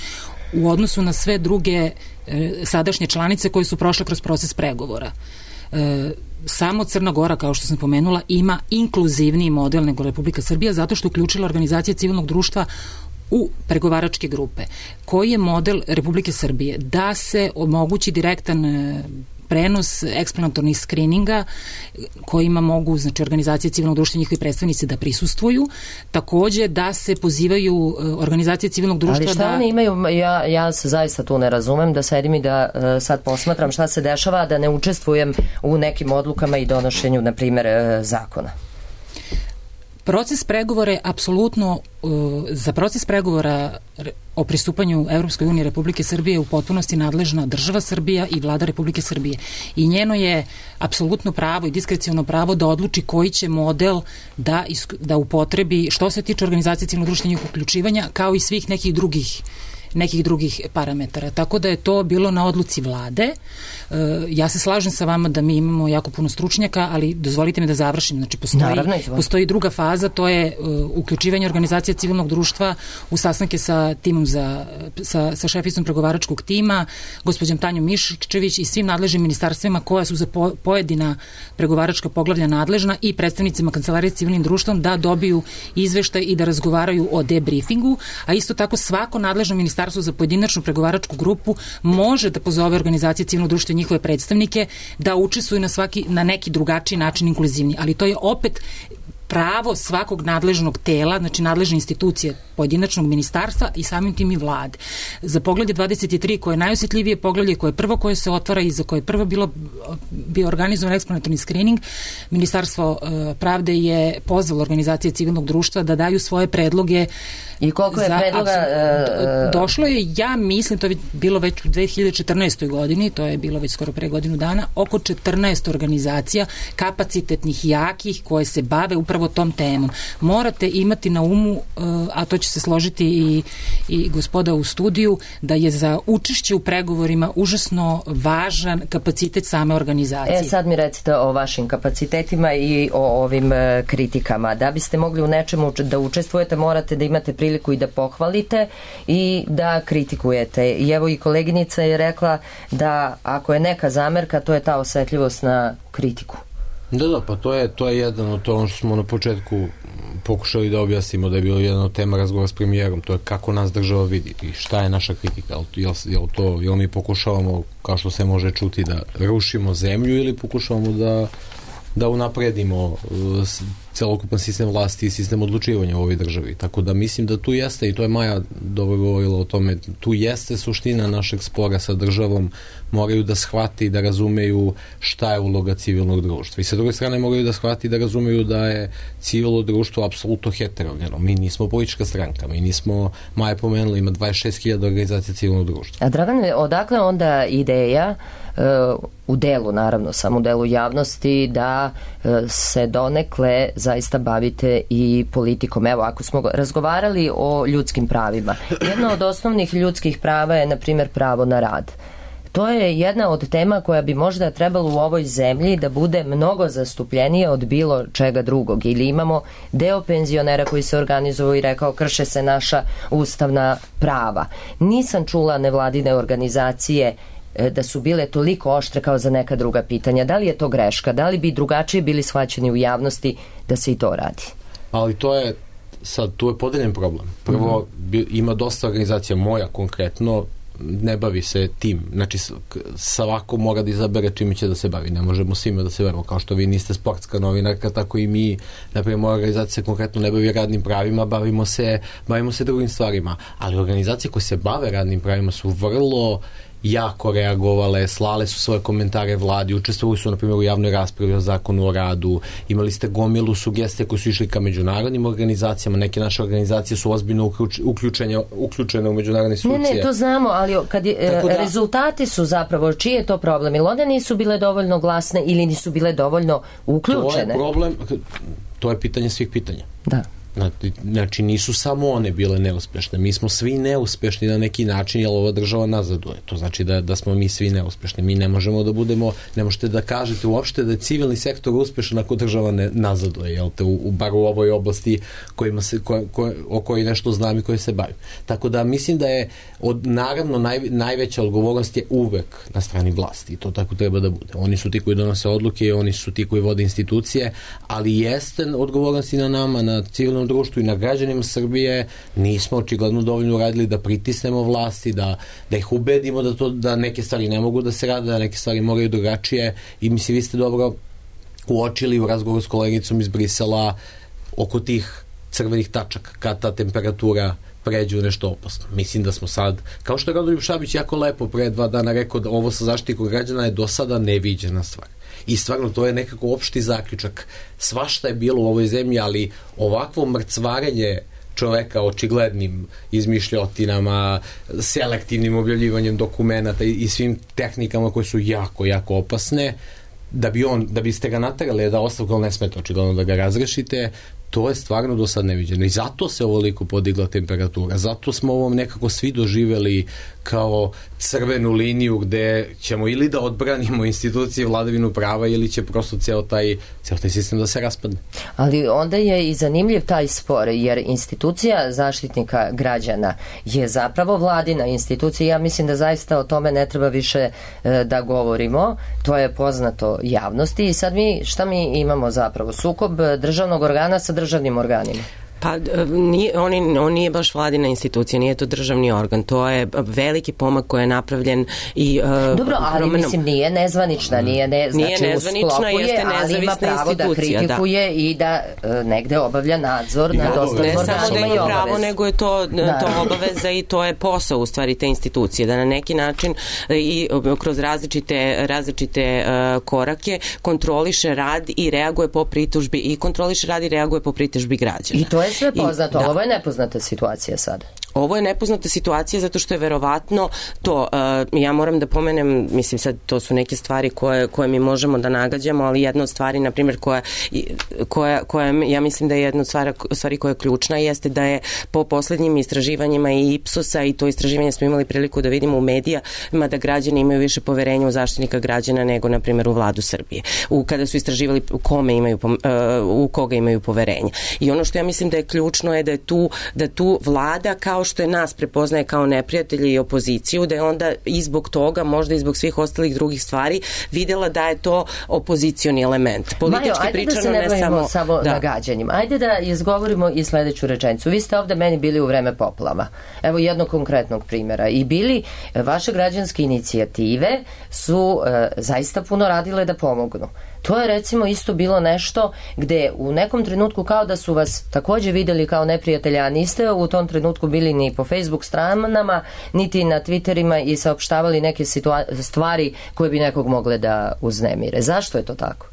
u odnosu na sve druge e, sadašnje članice koje su prošle kroz proces pregovora. E, samo Crna Gora, kao što sam pomenula, ima inkluzivniji model nego Republika Srbija zato što uključila organizacije civilnog društva u pregovaračke grupe. Koji je model Republike Srbije? Da se omogući direktan e, prenos eksplanatornih skrininga kojima mogu, znači, organizacije civilnog društva i njihovi predstavnici da prisustvuju, takođe da se pozivaju organizacije civilnog društva da... Ali šta da... oni imaju, ja, ja se zaista tu ne razumem, da sedim i da uh, sad posmatram šta se dešava, da ne učestvujem u nekim odlukama i donošenju, na primer, uh, zakona. Proces pregovora je apsolutno, uh, za proces pregovora o pristupanju Evropskoj uniji Republike Srbije u potpunosti nadležna država Srbija i vlada Republike Srbije. I njeno je apsolutno pravo i diskreciono pravo da odluči koji će model da, da upotrebi što se tiče organizacije civilnog društva i njihovog uključivanja, kao i svih nekih drugih nekih drugih parametara. Tako da je to bilo na odluci vlade. E, ja se slažem sa vama da mi imamo jako puno stručnjaka, ali dozvolite mi da završim. Znači, postoji, Naravno, postoji druga faza, to je uh, uključivanje organizacije civilnog društva u sastanke sa timom za, sa, sa šeficom pregovaračkog tima, gospođom Tanjom Miščević i svim nadležnim ministarstvima koja su za po, pojedina pregovaračka poglavlja nadležna i predstavnicima Kancelarije s civilnim društvom da dobiju izveštaj i da razgovaraju o debriefingu, a isto tako svako nadležno ministarstvo za pojedinačnu pregovaračku grupu može da pozove organizacije civilnog društva i njihove predstavnike da učestvuju na svaki, na neki drugačiji način inkluzivni, ali to je opet pravo svakog nadležnog tela, znači nadležne institucije pojedinačnog ministarstva i samim tim i vlade. Za poglavlje dvadeset tri, koje je najosjetljivije poglavlje, koje je prvo koje se otvara i za koje je prvo bilo, bio organizovan eksplanatorni screening, Ministarstvo uh, pravde je pozvalo organizacije civilnog društva da daju svoje predloge. I koliko je za, predloga? Uh, došlo je, ja mislim, to je bilo već u dve hiljade četrnaestoj godini, to je bilo već skoro pre godinu dana, oko četrnaest organizacija kapacitetnih, jakih, koje se bave upravo tom temom. Morate imati na umu, a to će se složiti i, i gospoda u studiju, da je za učešće u pregovorima užasno važan kapacitet same organizacije. E, sad mi recite o vašim kapacitetima i o ovim e, kritikama. Da biste mogli u nečemu da učestvujete, morate da imate priliku i da pohvalite i da kritikujete. I evo i koleginica je rekla da ako je neka zamerka, to je ta osetljivost na kritiku. Da, da, pa to je, to je jedan od to ono što smo na početku pokušali da objasnimo, da je bilo jedna od tema razgovora s premijerom, to je kako nas država vidi i šta je naša kritika, jel, jel, to, jel mi pokušavamo, kao što se može čuti, da rušimo zemlju ili pokušavamo da, da unapredimo uh, celokupan sistem vlasti i sistem odlučivanja u ovoj državi. Tako da mislim da tu jeste, i to je Maja dobro govorila o tome, tu jeste suština našeg spora sa državom, moraju da shvati i da razumeju šta je uloga civilnog društva. I sa druge strane moraju da shvati i da razumeju da je civilno društvo apsolutno heterogeno. Mi nismo politička stranka, mi nismo, Maja pomenula, ima dvadeset šest hiljada organizacija civilnog društva. A Dragane, odakle onda ideja uh, u delu, naravno, samo u delu javnosti, da uh, se donekle zaista bavite i politikom? Evo, ako smo razgovarali o ljudskim pravima, jedno od osnovnih ljudskih prava je, na primjer, pravo na rad. To je jedna od tema koja bi možda trebalo u ovoj zemlji da bude mnogo zastupljenija od bilo čega drugog. Ili imamo deo penzionera koji se organizovao i rekao krše se naša ustavna prava. Nisam čula nevladine organizacije da su bile toliko oštre kao za neka druga pitanja. Da li je to greška? Da li bi drugačije bili shvaćeni u javnosti da se i to radi? Ali to je, sad, tu je podeljen problem. Prvo, mm-hmm. ima dosta organizacija, moja konkretno, ne bavi se tim. Znači, svako mora da izabere čime će da se bavi. Ne možemo svima da se bavimo. Kao što vi niste sportska novinarka, tako i mi, naprimjer, moja organizacija se konkretno ne bavi radnim pravima, bavimo se, bavimo se drugim stvarima. Ali organizacije koje se bave radnim pravima su vrlo jako reagovale, slale su svoje komentare vladi, učestvovali su na primjer u javnoj raspravi o zakonu o radu, imali ste gomilu sugestije koji su išli ka međunarodnim organizacijama, neke naše organizacije su ozbiljno uključene, uključene u međunarodne institucije. Ne, ne, to znamo, ali kad je, da, rezultati su zapravo, čiji je to problem? Ili one nisu bile dovoljno glasne ili nisu bile dovoljno uključene? To je problem, to je pitanje svih pitanja. Da. Znači nisu samo one bile neuspešne, mi smo svi neuspešni na neki način, jer ova država nazaduje, to znači da, da smo mi svi neuspešni, mi ne možemo da budemo, ne možete da kažete uopšte da je civilni sektor uspešan ako država ne nazaduje, jel te, u, u, bar u ovoj oblasti kojima se, ko, ko, o kojoj nešto znam i koje se bavim. Tako da mislim da je od, naravno naj, najveća odgovornost je uvek na strani vlasti i to tako treba da bude. Oni su ti koji donose odluke i oni su ti koji vode institucije, ali jeste odgovornost i na nama, na civilnom društvu i na građanima Srbije, nismo očigledno dovoljno uradili da pritisnemo vlasti, da, da ih ubedimo da, to, da neke stvari ne mogu da se rade, da neke stvari moraju drugačije i mislim vi ste dobro uočili u razgovoru s kolegicom iz Brisela oko tih crvenih tačaka, kad ta temperatura pređe u nešto opasno. Mislim da smo sad, kao što je Rodoljub Šabić jako lepo pre dva dana rekao da ovo sa zaštitikom građana je do sada neviđena stvar. I stvarno to je nekako opšti zaključak. Svašta je bilo u ovoj zemlji, ali ovakvo mrcvarenje čoveka očiglednim izmišljotinama, selektivnim objavljivanjem dokumenata i, i svim tehnikama koje su jako, jako opasne, da bi on, da biste ga naterali da ostavku ne smete očigledno da ga razrešite, to je stvarno do sad neviđeno i zato se ovoliko podigla temperatura, zato smo ovom nekako svi doživeli kao crvenu liniju gde ćemo ili da odbranimo institucije vladavinu prava ili će prosto ceo taj, ceo taj sistem da se raspadne. Ali onda je i zanimljiv taj spor, jer institucija zaštitnika građana je zapravo vladina institucija. Ja mislim da zaista o tome ne treba više e, da govorimo. To je poznato javnosti i sad mi, šta mi imamo zapravo? Sukob državnog organa sa državnim organima. Pa nije, on, on nije baš vladina institucija, nije to državni organ, to je veliki pomak koji je napravljen i uh, dobro, ali promenom, mislim nije nezvanična, nije, ne, znači nije nezvanična, jeste nezavisna institucija, ali ima pravo da kritikuje da. I da uh, negde obavlja nadzor nad ostalim organima. Ne samo da ima pravo, nego je to, da. to obaveza i to je posao u stvari te institucije, da na neki način i kroz različite, različite uh, korake kontroliše rad i reaguje po pritužbi i kontroliše rad i reaguje po pritužbi građana. I to je sve poznato, ali ovo je nepoznata situacija sad. Ovo je nepoznata situacija zato što je verovatno to, uh, ja moram da pomenem, mislim sad to su neke stvari koje, koje mi možemo da nagađamo, ali jedna od stvari, na primjer, koja, koja, koja ja mislim da je jedna od stvari, stvari koja je ključna jeste da je po poslednjim istraživanjima i Ipsosa i to istraživanje smo imali priliku da vidimo u medijama da građani imaju više poverenja u Zaštitnika građana nego, na primjer, u vladu Srbije. U, kada su istraživali u kome imaju, uh, u koga imaju poverenja. I ono što ja mislim da je ključno je da je tu, da tu vlada kao što je nas prepoznaje kao neprijatelji i opoziciju, da je onda i zbog toga, možda i zbog svih ostalih drugih stvari, videla da je to opozicioni element. Politički Majo, ajde pričano, da se ne bavimo samo, samo da. nagađanjima. Ajde da izgovorimo i sledeću rečenicu. Vi ste ovde meni bili u vreme poplava. Evo jednog konkretnog primjera. I bili, vaše građanske inicijative su e, zaista puno radile da pomognu. To je recimo isto bilo nešto gde u nekom trenutku kao da su vas takođe videli kao neprijatelja, a niste u tom trenutku bili ni po Facebook stranama, niti na Twitterima i saopštavali neke stvari koje bi nekog mogle da uznemire. Zašto je to tako?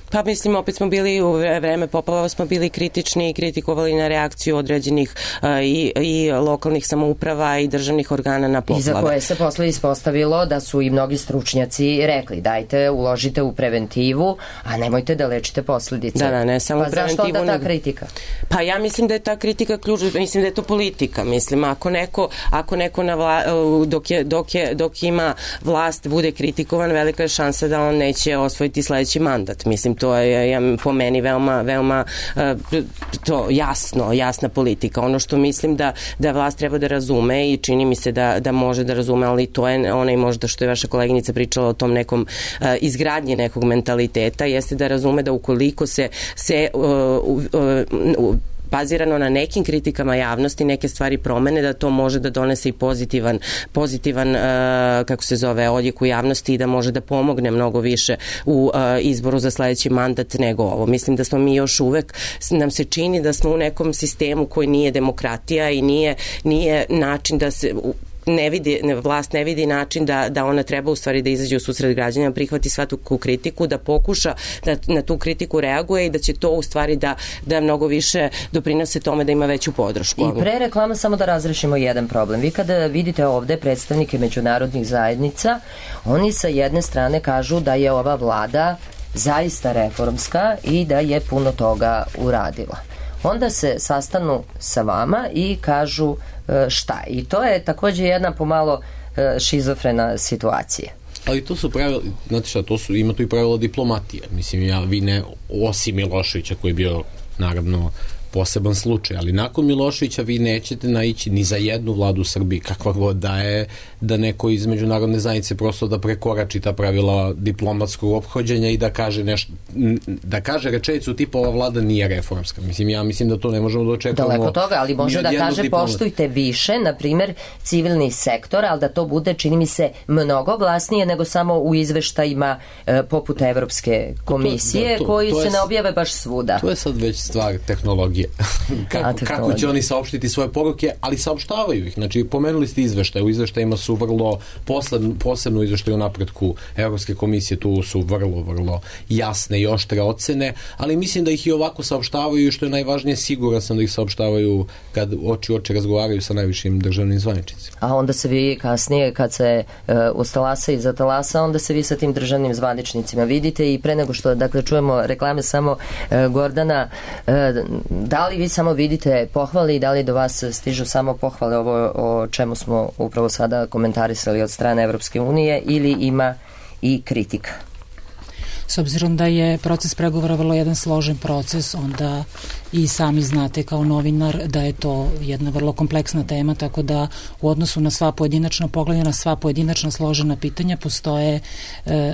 Pa mislim, opet smo bili u vreme poplava, smo bili kritični i kritikovali na reakciju određenih uh, i, i lokalnih samouprava i državnih organa na poplave. I za koje se posle ispostavilo da su i mnogi stručnjaci rekli dajte, uložite u preventivu, a nemojte da lečite posledice. Da, da, ne samo pa preventivu. Pa zašto onda ta kritika? Pa ja mislim da je ta kritika ključ, mislim da je to politika. Mislim, ako neko, ako neko na vla, dok, je, dok, je, dok ima vlast bude kritikovan, velika je šansa da on neće osvojiti sledeći mandat. Mislim, to je ja, po meni veoma, veoma uh, to jasno, jasna politika. Ono što mislim da, da vlast treba da razume i čini mi se da, da može da razume, ali to je onaj možda što je vaša koleginica pričala o tom nekom uh, izgradnji nekog mentaliteta, jeste da razume da ukoliko se, se uh, uh, uh, bazirano na nekim kritikama javnosti, neke stvari promene, da to može da donese i pozitivan, pozitivan uh, kako se zove, odjek u javnosti i da može da pomogne mnogo više u uh, izboru za sledeći mandat nego ovo. Mislim da smo mi još uvek, nam se čini da smo u nekom sistemu koji nije demokratija i nije, nije način da se ne vidi, ne, vlast ne vidi način da, da ona treba u stvari da izađe u susret građana, prihvati svaku kritiku, da pokuša da na tu kritiku reaguje i da će to u stvari da, da mnogo više doprinose tome da ima veću podršku. I pre reklama samo da razrešimo jedan problem. Vi kada vidite ovde predstavnike međunarodnih zajednica, oni sa jedne strane kažu da je ova vlada zaista reformska i da je puno toga uradila. Onda se sastanu sa vama i kažu šta. I to je takođe jedna pomalo šizofrena situacija. Ali to su pravila, znate šta, to su, ima tu i pravila diplomatije. Mislim, ja, vi ne, osim Miloševića koji je bio, naravno, poseban slučaj, ali nakon Miloševića vi nećete naići ni za jednu vladu u Srbiji, kakva god da je, da neko iz međunarodne zajednice prosto da prekorači ta pravila diplomatskog ophođenja i da kaže nešto, da kaže rečenicu tipa ova vlada nije reformska. Mislim, ja mislim da to ne možemo da očekujemo. Daleko toga, ali može da kaže diplomat. Poštujte više, na primer, civilni sektor, ali da to bude, čini mi se, mnogo glasnije nego samo u izveštajima e, poput Evropske komisije, to, da, to, koji to se je, ne objave baš svuda. To je sad već stvar tehnologije. kako, kako će oni saopštiti svoje poruke, ali saopštavaju ih. Znači, pomenuli ste izveštaje. U izveštajima su vrlo, posebno, posebno izveštaje o napretku Evropske komisije, tu su vrlo, vrlo jasne i oštre ocene, ali mislim da ih i ovako saopštavaju i što je najvažnije, siguran sam da ih saopštavaju kad oči oči razgovaraju sa najvišim državnim zvaničnicima. A onda se vi kasnije, kad se uh, ustalasa i zatalasa, onda se vi sa tim državnim zvaničnicima vidite i pre nego što, dakle, čujemo reklame samo uh, Gordana, uh, da li vi samo vidite pohvale i da li do vas stižu samo pohvale ovo o čemu smo upravo sada komentarisali od strane Evropske unije ili ima i kritika? S obzirom da je proces pregovora vrlo jedan složen proces, onda i sami znate kao novinar da je to jedna vrlo kompleksna tema, tako da u odnosu na sva pojedinačna pogledanja, na sva pojedinačna složena pitanja postoje e,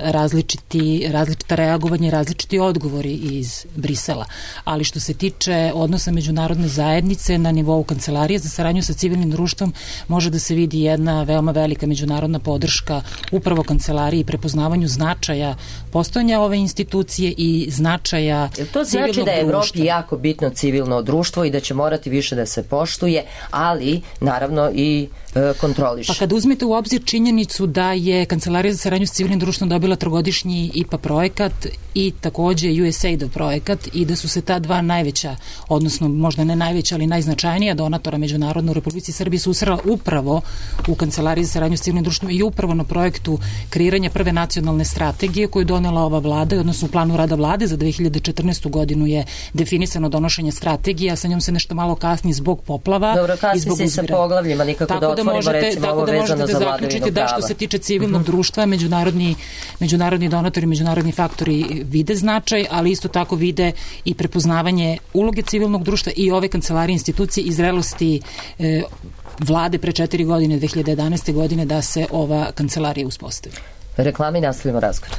različiti, različita reagovanja i različiti odgovori iz Brisela. Ali što se tiče odnosa međunarodne zajednice na nivou Kancelarije za saradnju sa civilnim društvom, može da se vidi jedna veoma velika međunarodna podrška upravo Kancelariji i prepoznavanju značaja postojanja ove institucije i značaja civilnog društva. To znači da je Evropi jako bitno civilno društvo i da će morati više da se poštuje, ali naravno i e, kontroliše. Pa kad uzmete u obzir činjenicu da je Kancelarija za saradnju s civilnim društvom dobila trogodišnji I P A projekat i takođe U S A I D projekat i da su se ta dva najveća, odnosno možda ne najveća, ali najznačajnija donatora međunarodno u Republici Srbiji susrela upravo u Kancelariji za saradnju s civilnim društvom i upravo na projektu kreiranja prve nacionalne strategije koju je donela ova vlada, odnosno u planu rada vlade za dve hiljade četrnaestu godinu je definisano donošenje strategije, a sa njom se nešto malo kasni zbog poplava. Dobro, kasni se i sa poglavljima, nikako tako da otvorimo možete, recimo ovo vezano za vladavinu prava. Da, što se tiče civilnog uh-huh. društva, međunarodni, međunarodni donatori, međunarodni faktori vide značaj, ali isto tako vide i prepoznavanje uloge civilnog društva i ove kancelarije institucije i zrelosti e, vlade pre četiri godine, dve hiljade jedanaeste godine, da se ova kancelarija uspostavi. Reklami, nastavimo razgovor.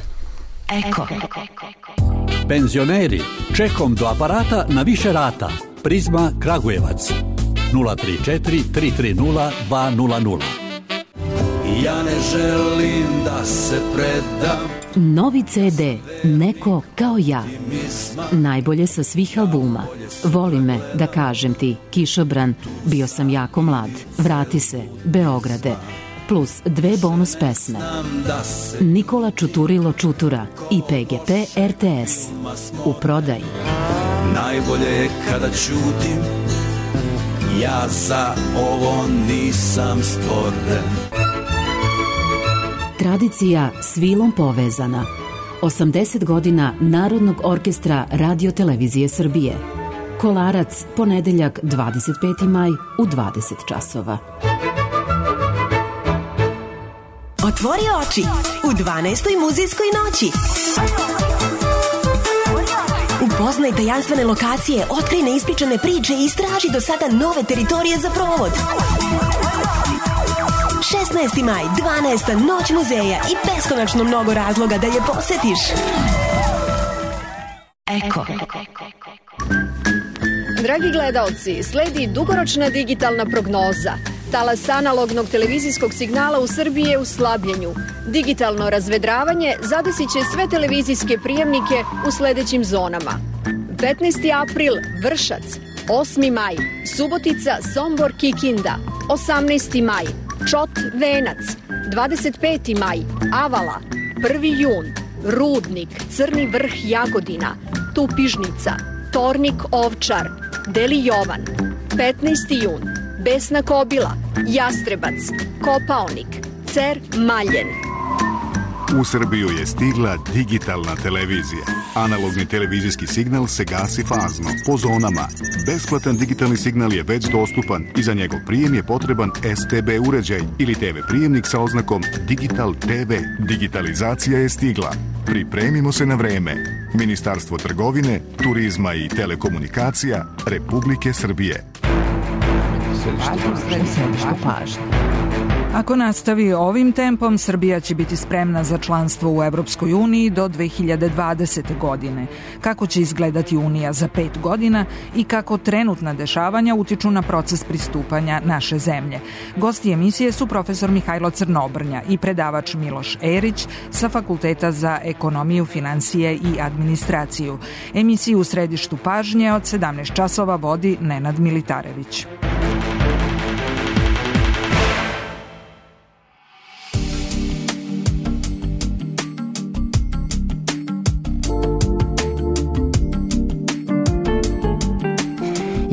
Eko. Penzioneri, čekom do aparata na više rata. Prizma Kragujevac. nula tri četiri tri tri nula dva nula nula. Ja ne želim da se predam. Novi C D, Neko kao ja. Najbolje sa svih albuma. Voli me, da kažem ti, Kišobran, Bio sam jako mlad, Vrati se, Beograde, plus dve bonus pesme. Nikola Čuturilo Čutura i P G P R T S. U prodaji. Najbolje je kada ćutim, ja za ovo nisam stvoren. Tradicija s vilom povezana. osamdeset godina Narodnog orkestra Radio Televizije Srbije. Kolarac, ponedeljak dvadeset peti maj u dvadeset časova. Otvori oči u dvanaestoj muzejskoj noći. Upoznaj tajanstvene lokacije, otkrij neispričane priče i istraži do sada nove teritorije za provod. šesnaesti maj, dvanaesta noć muzeja i beskonačno mnogo razloga da je posetiš. Eko. Dragi gledaoci, sledi dugoročna digitalna prognoza. Talas analognog televizijskog signala u Srbiji je u slabljenju. Digitalno razvedravanje zadesit će sve televizijske prijemnike u sledećim zonama. petnaesti april, Vršac. osmi maj, Subotica, Sombor, Kikinda. osamnaesti maj, Čot Venac, dvadeset peti maj, Avala, prvi jun, Rudnik, Crni vrh Jagodina, Tupižnica, Tornik Ovčar, Deli Jovan, petnaesti jun, Besna Kobila, Jastrebac, Kopaonik, Cer Maljen. U Srbiju je stigla digitalna televizija. Analogni televizijski signal se gasi fazno, po zonama. Besplatan digitalni signal je već dostupan i za njegov prijem je potreban S T B uređaj ili T V prijemnik sa oznakom Digital T V. Digitalizacija je stigla. Pripremimo se na vreme. Ministarstvo trgovine, turizma i telekomunikacija Republike Srbije. Središte pažnje. Ako nastavi ovim tempom, Srbija će biti spremna za članstvo u Evropskoj uniji do dve hiljade dvadesete. godine. Kako će izgledati Unija za pet godina i kako trenutna dešavanja utiču na proces pristupanja naše zemlje. Gosti emisije su profesor Mihajlo Crnobrnja i predavač Miloš Erić sa Fakulteta za ekonomiju, financije i administraciju. Emisiju u središtu pažnje od sedamnaest časova vodi Nenad Militarević.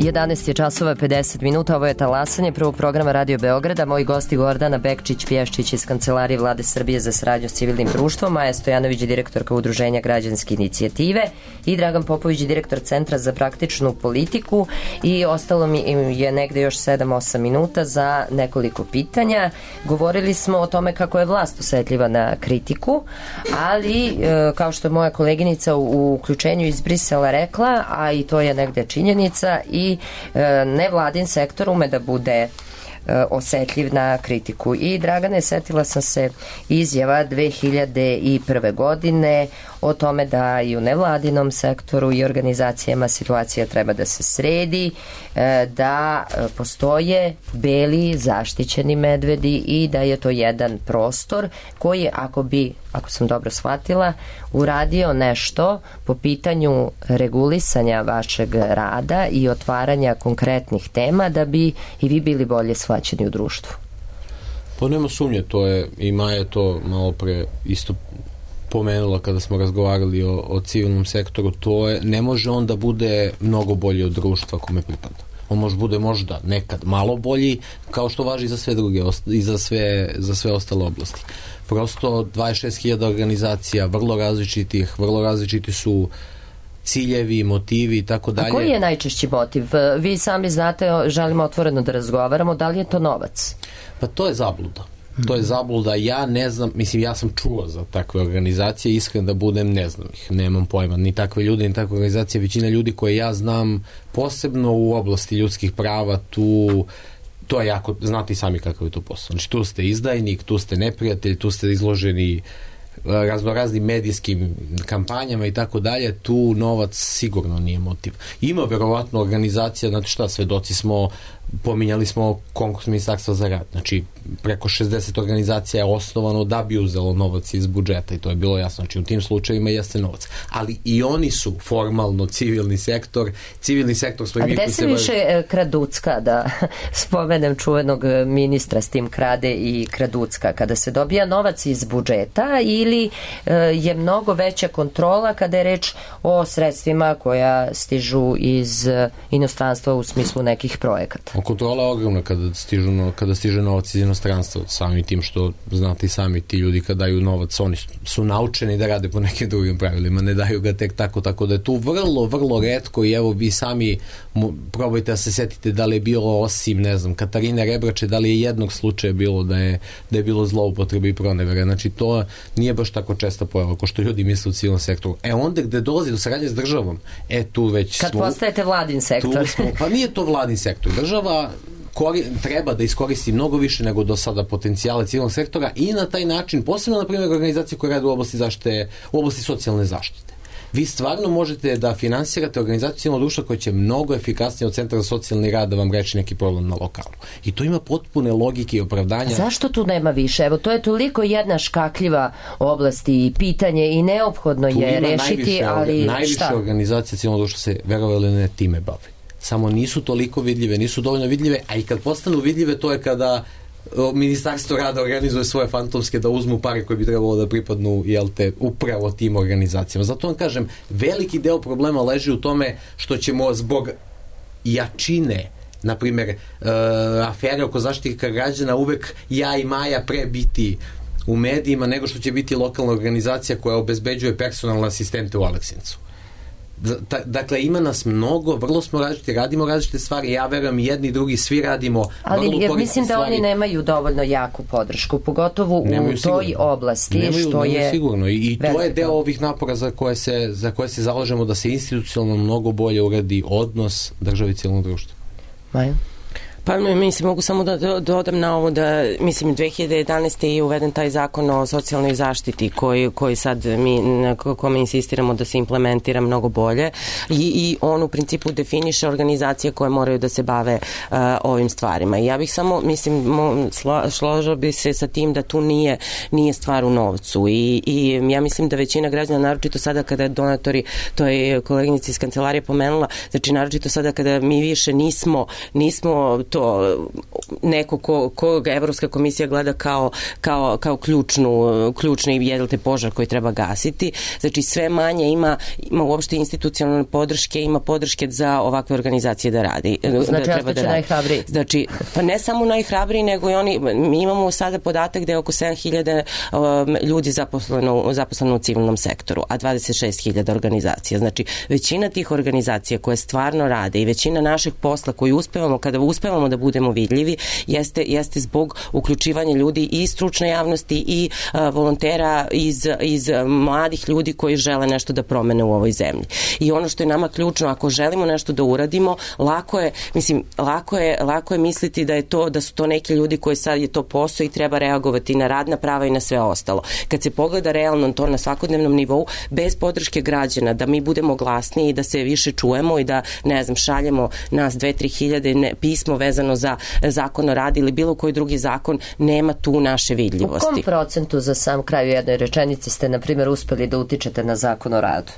jedanaest je časova pedeset minuta, ovo je talasanje prvog programa Radio Beograda. Moji gosti Gordana Bekčić-Pješčić iz Kancelarije Vlade Srbije za saradnju s civilnim društvom, Maja Stojanović, direktorka Udruženja Građanske inicijative i Dragan Popović, direktor Centra za praktičnu politiku, i ostalo mi je negde još sedam osam minuta za nekoliko pitanja. Govorili smo o tome kako je vlast osetljiva na kritiku, ali kao što je moja koleginica u uključenju iz Brisela rekla, a i to je negde činjenica, i nevladin sektor ume da bude osetljiv na kritiku. I Dragane, setila sam se izjava dve hiljade prve. godine o tome da i u nevladinom sektoru i organizacijama situacija treba da se sredi, da postoje beli zaštićeni medvedi i da je to jedan prostor koji, ako bi, ako sam dobro shvatila, uradio nešto po pitanju regulisanja vašeg rada i otvaranja konkretnih tema, da bi i vi bili bolje shvaćeni u društvu. Pa nema sumnje, to je, i Maja je to malo pre isto pomenula kada smo razgovarali o, o civilnom sektoru, to je, ne može on da bude mnogo bolji od društva kome pripada. On može bude možda nekad malo bolji, kao što važi i za sve druge i za sve, za sve ostale oblasti. Prosto dvadeset šest hiljada organizacija, vrlo različitih, vrlo različiti su ciljevi, motivi i tako dalje. A koji je najčešći motiv? Vi sami znate, želimo otvoreno da razgovaramo, da li je to novac? Pa to je zabluda. To je zabluda, ja ne znam, mislim, ja sam čuo za takve organizacije, iskren da budem, ne znam ih, nemam pojma, ni takve ljude, ni takve organizacije, većina ljudi koje ja znam, posebno u oblasti ljudskih prava, tu, to je jako, znate i sami kakav je to posao. Znači, tu ste izdajnik, tu ste neprijatelj, tu ste izloženi raznoraznim medijskim kampanjama i tako dalje, tu novac sigurno nije motiv. Ima verovatno organizacija, znate šta, svedoci smo, pominjali smo konkurs Ministarstva za rad, znači preko šezdeset organizacija je osnovano da bi uzelo novac iz budžeta i to je bilo jasno, znači u tim slučajevima jeste novac, ali i oni su formalno civilni sektor, civilni sektor smo i mi. A gde se više bavi... kraducka, da spomenem čuvenog ministra s tim krade i kraducka, kada se dobija novac iz budžeta ili je mnogo veća kontrola kada je reč o sredstvima koja stižu iz inostranstva u smislu nekih projekata? Kontrola je ogromna kada, stižu, kada stiže novac iz inostranstva, samim tim što znate i sami, ti ljudi kada daju novac, oni su naučeni da rade po nekim drugim pravilima, ne daju ga tek tako, tako da je tu vrlo, vrlo retko i evo vi sami probajte da se setite da li je bilo, osim, ne znam, Katarine Rebrače, da li je jednog slučaja bilo da je, da je bilo zloupotrebe i pronevere, znači to nije baš tako česta pojava ko što ljudi misle u civilnom sektoru. E onda gde dolazi do saradnje s državom, e tu već kad smo... Kad postajete vladin sektor. Smo, pa nije to vladin sektor. Država Kori, treba da iskoristi mnogo više nego do sada potencijale civilnog sektora i na taj način, posebno na primjer organizacije koje rade u oblasti zaštite, u oblasti socijalne zaštite. Vi stvarno možete da finansirate organizaciju civilnog društva koja će mnogo efikasnije od Centra za socijalni rad da vam reči neki problem na lokalu. I to ima potpune logike i opravdanja. Zašto tu nema više? Evo, to je toliko jedna škakljiva oblast i pitanje i neophodno tu je rešiti, najviše, ali najviše šta? Najviše organizacija civilnog društva se, verovali ne, time bavi. Samo nisu toliko vidljive, nisu dovoljno vidljive, a i kad postanu vidljive, to je kada Ministarstvo rada organizuje svoje fantomske da uzmu pare koje bi trebalo da pripadnu, jel te, upravo tim organizacijama. Zato vam kažem, veliki deo problema leži u tome što ćemo zbog jačine, na primjer, uh, afere oko zaštitnika građana uvek ja i Maja pre biti u medijima nego što će biti lokalna organizacija koja obezbeđuje personalne asistente u Aleksincu. Dakle, ima nas mnogo, vrlo smo različiti, radimo različite stvari, ja verujem jedni i drugi, svi radimo ali vrlo jer mislim da stvari. Oni nemaju dovoljno jaku podršku, pogotovo nemaju u sigurno. Toj oblasti nemaju, što nemaju je sigurno i, i to veliko. Je deo ovih napora za koje, se, za koje se zalažemo da se institucionalno mnogo bolje uradi odnos države i cijelog društva. Maja? Pa mislim, mogu samo da dodam na ovo da, mislim, dve hiljade jedanaeste je uveden taj zakon o socijalnoj zaštiti koji, koji sad mi, na kome insistiramo da se implementira mnogo bolje i, i on u principu definiše organizacije koje moraju da se bave uh, ovim stvarima. I ja bih samo, mislim, složila bi se sa tim da tu nije, nije stvar u novcu i, i ja mislim da većina građana, naročito sada kada donatori, to je koleginica iz kancelarije pomenula, znači naročito sada kada mi više nismo, nismo to neko ko, ko Evropska komisija gleda kao, kao, kao ključnu, ključni jedelte požar koji treba gasiti. Znači sve manje ima, ima uopšte institucionalne podrške, ima podrške za ovakve organizacije da radi. Znači da treba da radi. Najhrabriji. Znači, pa ne samo najhrabriji, nego i oni, mi imamo sada podatak da je oko sedam hiljada um, ljudi zaposleno, zaposleno u civilnom sektoru, a dvadeset šest hiljada organizacija. Znači, većina tih organizacija koje stvarno rade i većina našeg posla koji uspevamo, kada uspevamo da budemo vidljivi, jeste, jeste zbog uključivanja ljudi i stručne javnosti i uh, volontera iz, iz mladih ljudi koji žele nešto da promene u ovoj zemlji. I ono što je nama ključno, ako želimo nešto da uradimo, lako je, mislim, lako je, lako je misliti da je to, da su to neki ljudi koji sad je to posao i treba reagovati na radna prava i na sve ostalo. Kad se pogleda realno to na svakodnevnom nivou, bez podrške građana, da mi budemo glasniji i da se više čujemo i da, ne znam, šaljemo nas dve, tri hiljade ne, pismo vezano za zakon o radu ili bilo koji drugi zakon, nema tu naše vidljivosti. U kom procentu za sam kraj u jednoj rečenici ste, na primjer, uspeli da utičete na zakon o radu?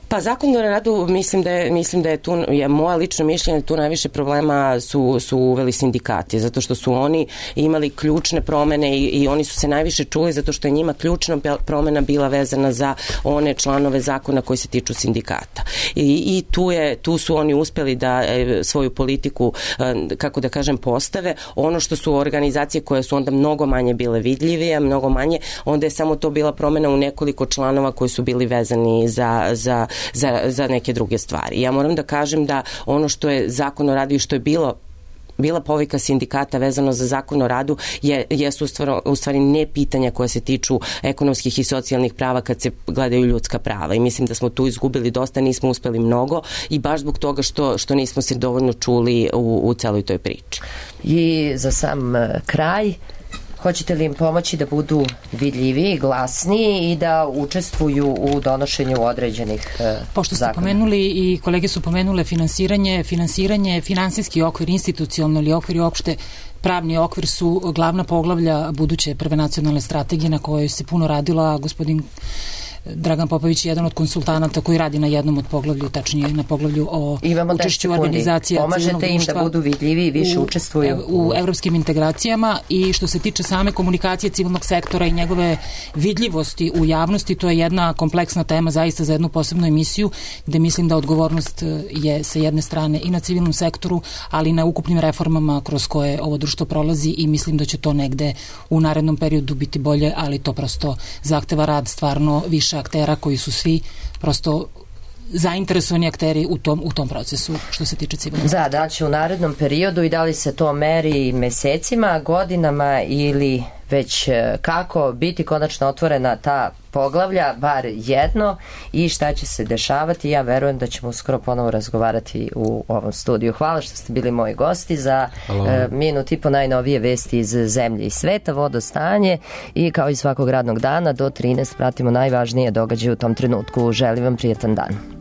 Pa zakon o radu, mislim da je, mislim da je tu, je moje lično mišljenje, tu najviše problema su, su uveli sindikati, zato što su oni imali ključne promene i, i oni su se najviše čuli zato što je njima ključna promena bila vezana za one članove zakona koji se tiču sindikata. I, i tu, je, tu su oni uspeli da e, svoju politiku, e, kako da kažem, postave. Ono što su organizacije koje su onda mnogo manje bile vidljivije, mnogo manje, onda je samo to bila promena u nekoliko članova koji su bili vezani za, za Za, za neke druge stvari. Ja moram da kažem da ono što je zakon o radu i što je bilo bila povika sindikata vezano za zakon o radu je, jesu u stvari ne pitanja koja se tiču ekonomskih i socijalnih prava kad se gledaju ljudska prava i mislim da smo tu izgubili dosta, nismo uspeli mnogo i baš zbog toga što, što nismo se dovoljno čuli u, u celoj toj priči. I za sam kraj, hoćete li im pomoći da budu vidljiviji, glasniji i da učestvuju u donošenju određenih zakona? Pošto ste pomenuli i kolege su pomenule finansiranje, finansiranje, finansijski okvir, institucionalni okvir i opšte pravni okvir su glavna poglavlja buduće prve nacionalne strategije na kojoj se puno radila. Gospodin Dragan Popović je jedan od konsultanata koji radi na jednom od poglavlju, tačnije na poglavlju o učešću organizacija civilnog društva. Pomažete im da budu vidljivi i više u, učestvuju u, u evropskim integracijama i što se tiče same komunikacije civilnog sektora i njegove vidljivosti u javnosti, to je jedna kompleksna tema zaista za jednu posebnu emisiju gde mislim da odgovornost je sa jedne strane i na civilnom sektoru, ali i na ukupnim reformama kroz koje ovo društvo prolazi i mislim da će to negde u narednom periodu biti bolje, ali to prosto zahteva rad stvarno više aktera koji su svi prosto zainteresovani akteri u tom, u tom procesu što se tiče civilnog. Da, da li će u narednom periodu i da li se to meri mesecima, godinama ili već kako biti konačno otvorena ta poglavlja, bar jedno, i šta će se dešavati. Ja verujem da ćemo uskoro ponovo razgovarati u ovom studiju. Hvala što ste bili moji gosti za e, minut i po najnovije vesti iz zemlje i sveta, vodostanje i kao i svakog radnog dana do trinaest pratimo najvažnije događaje u tom trenutku. Želim vam prijetan dan.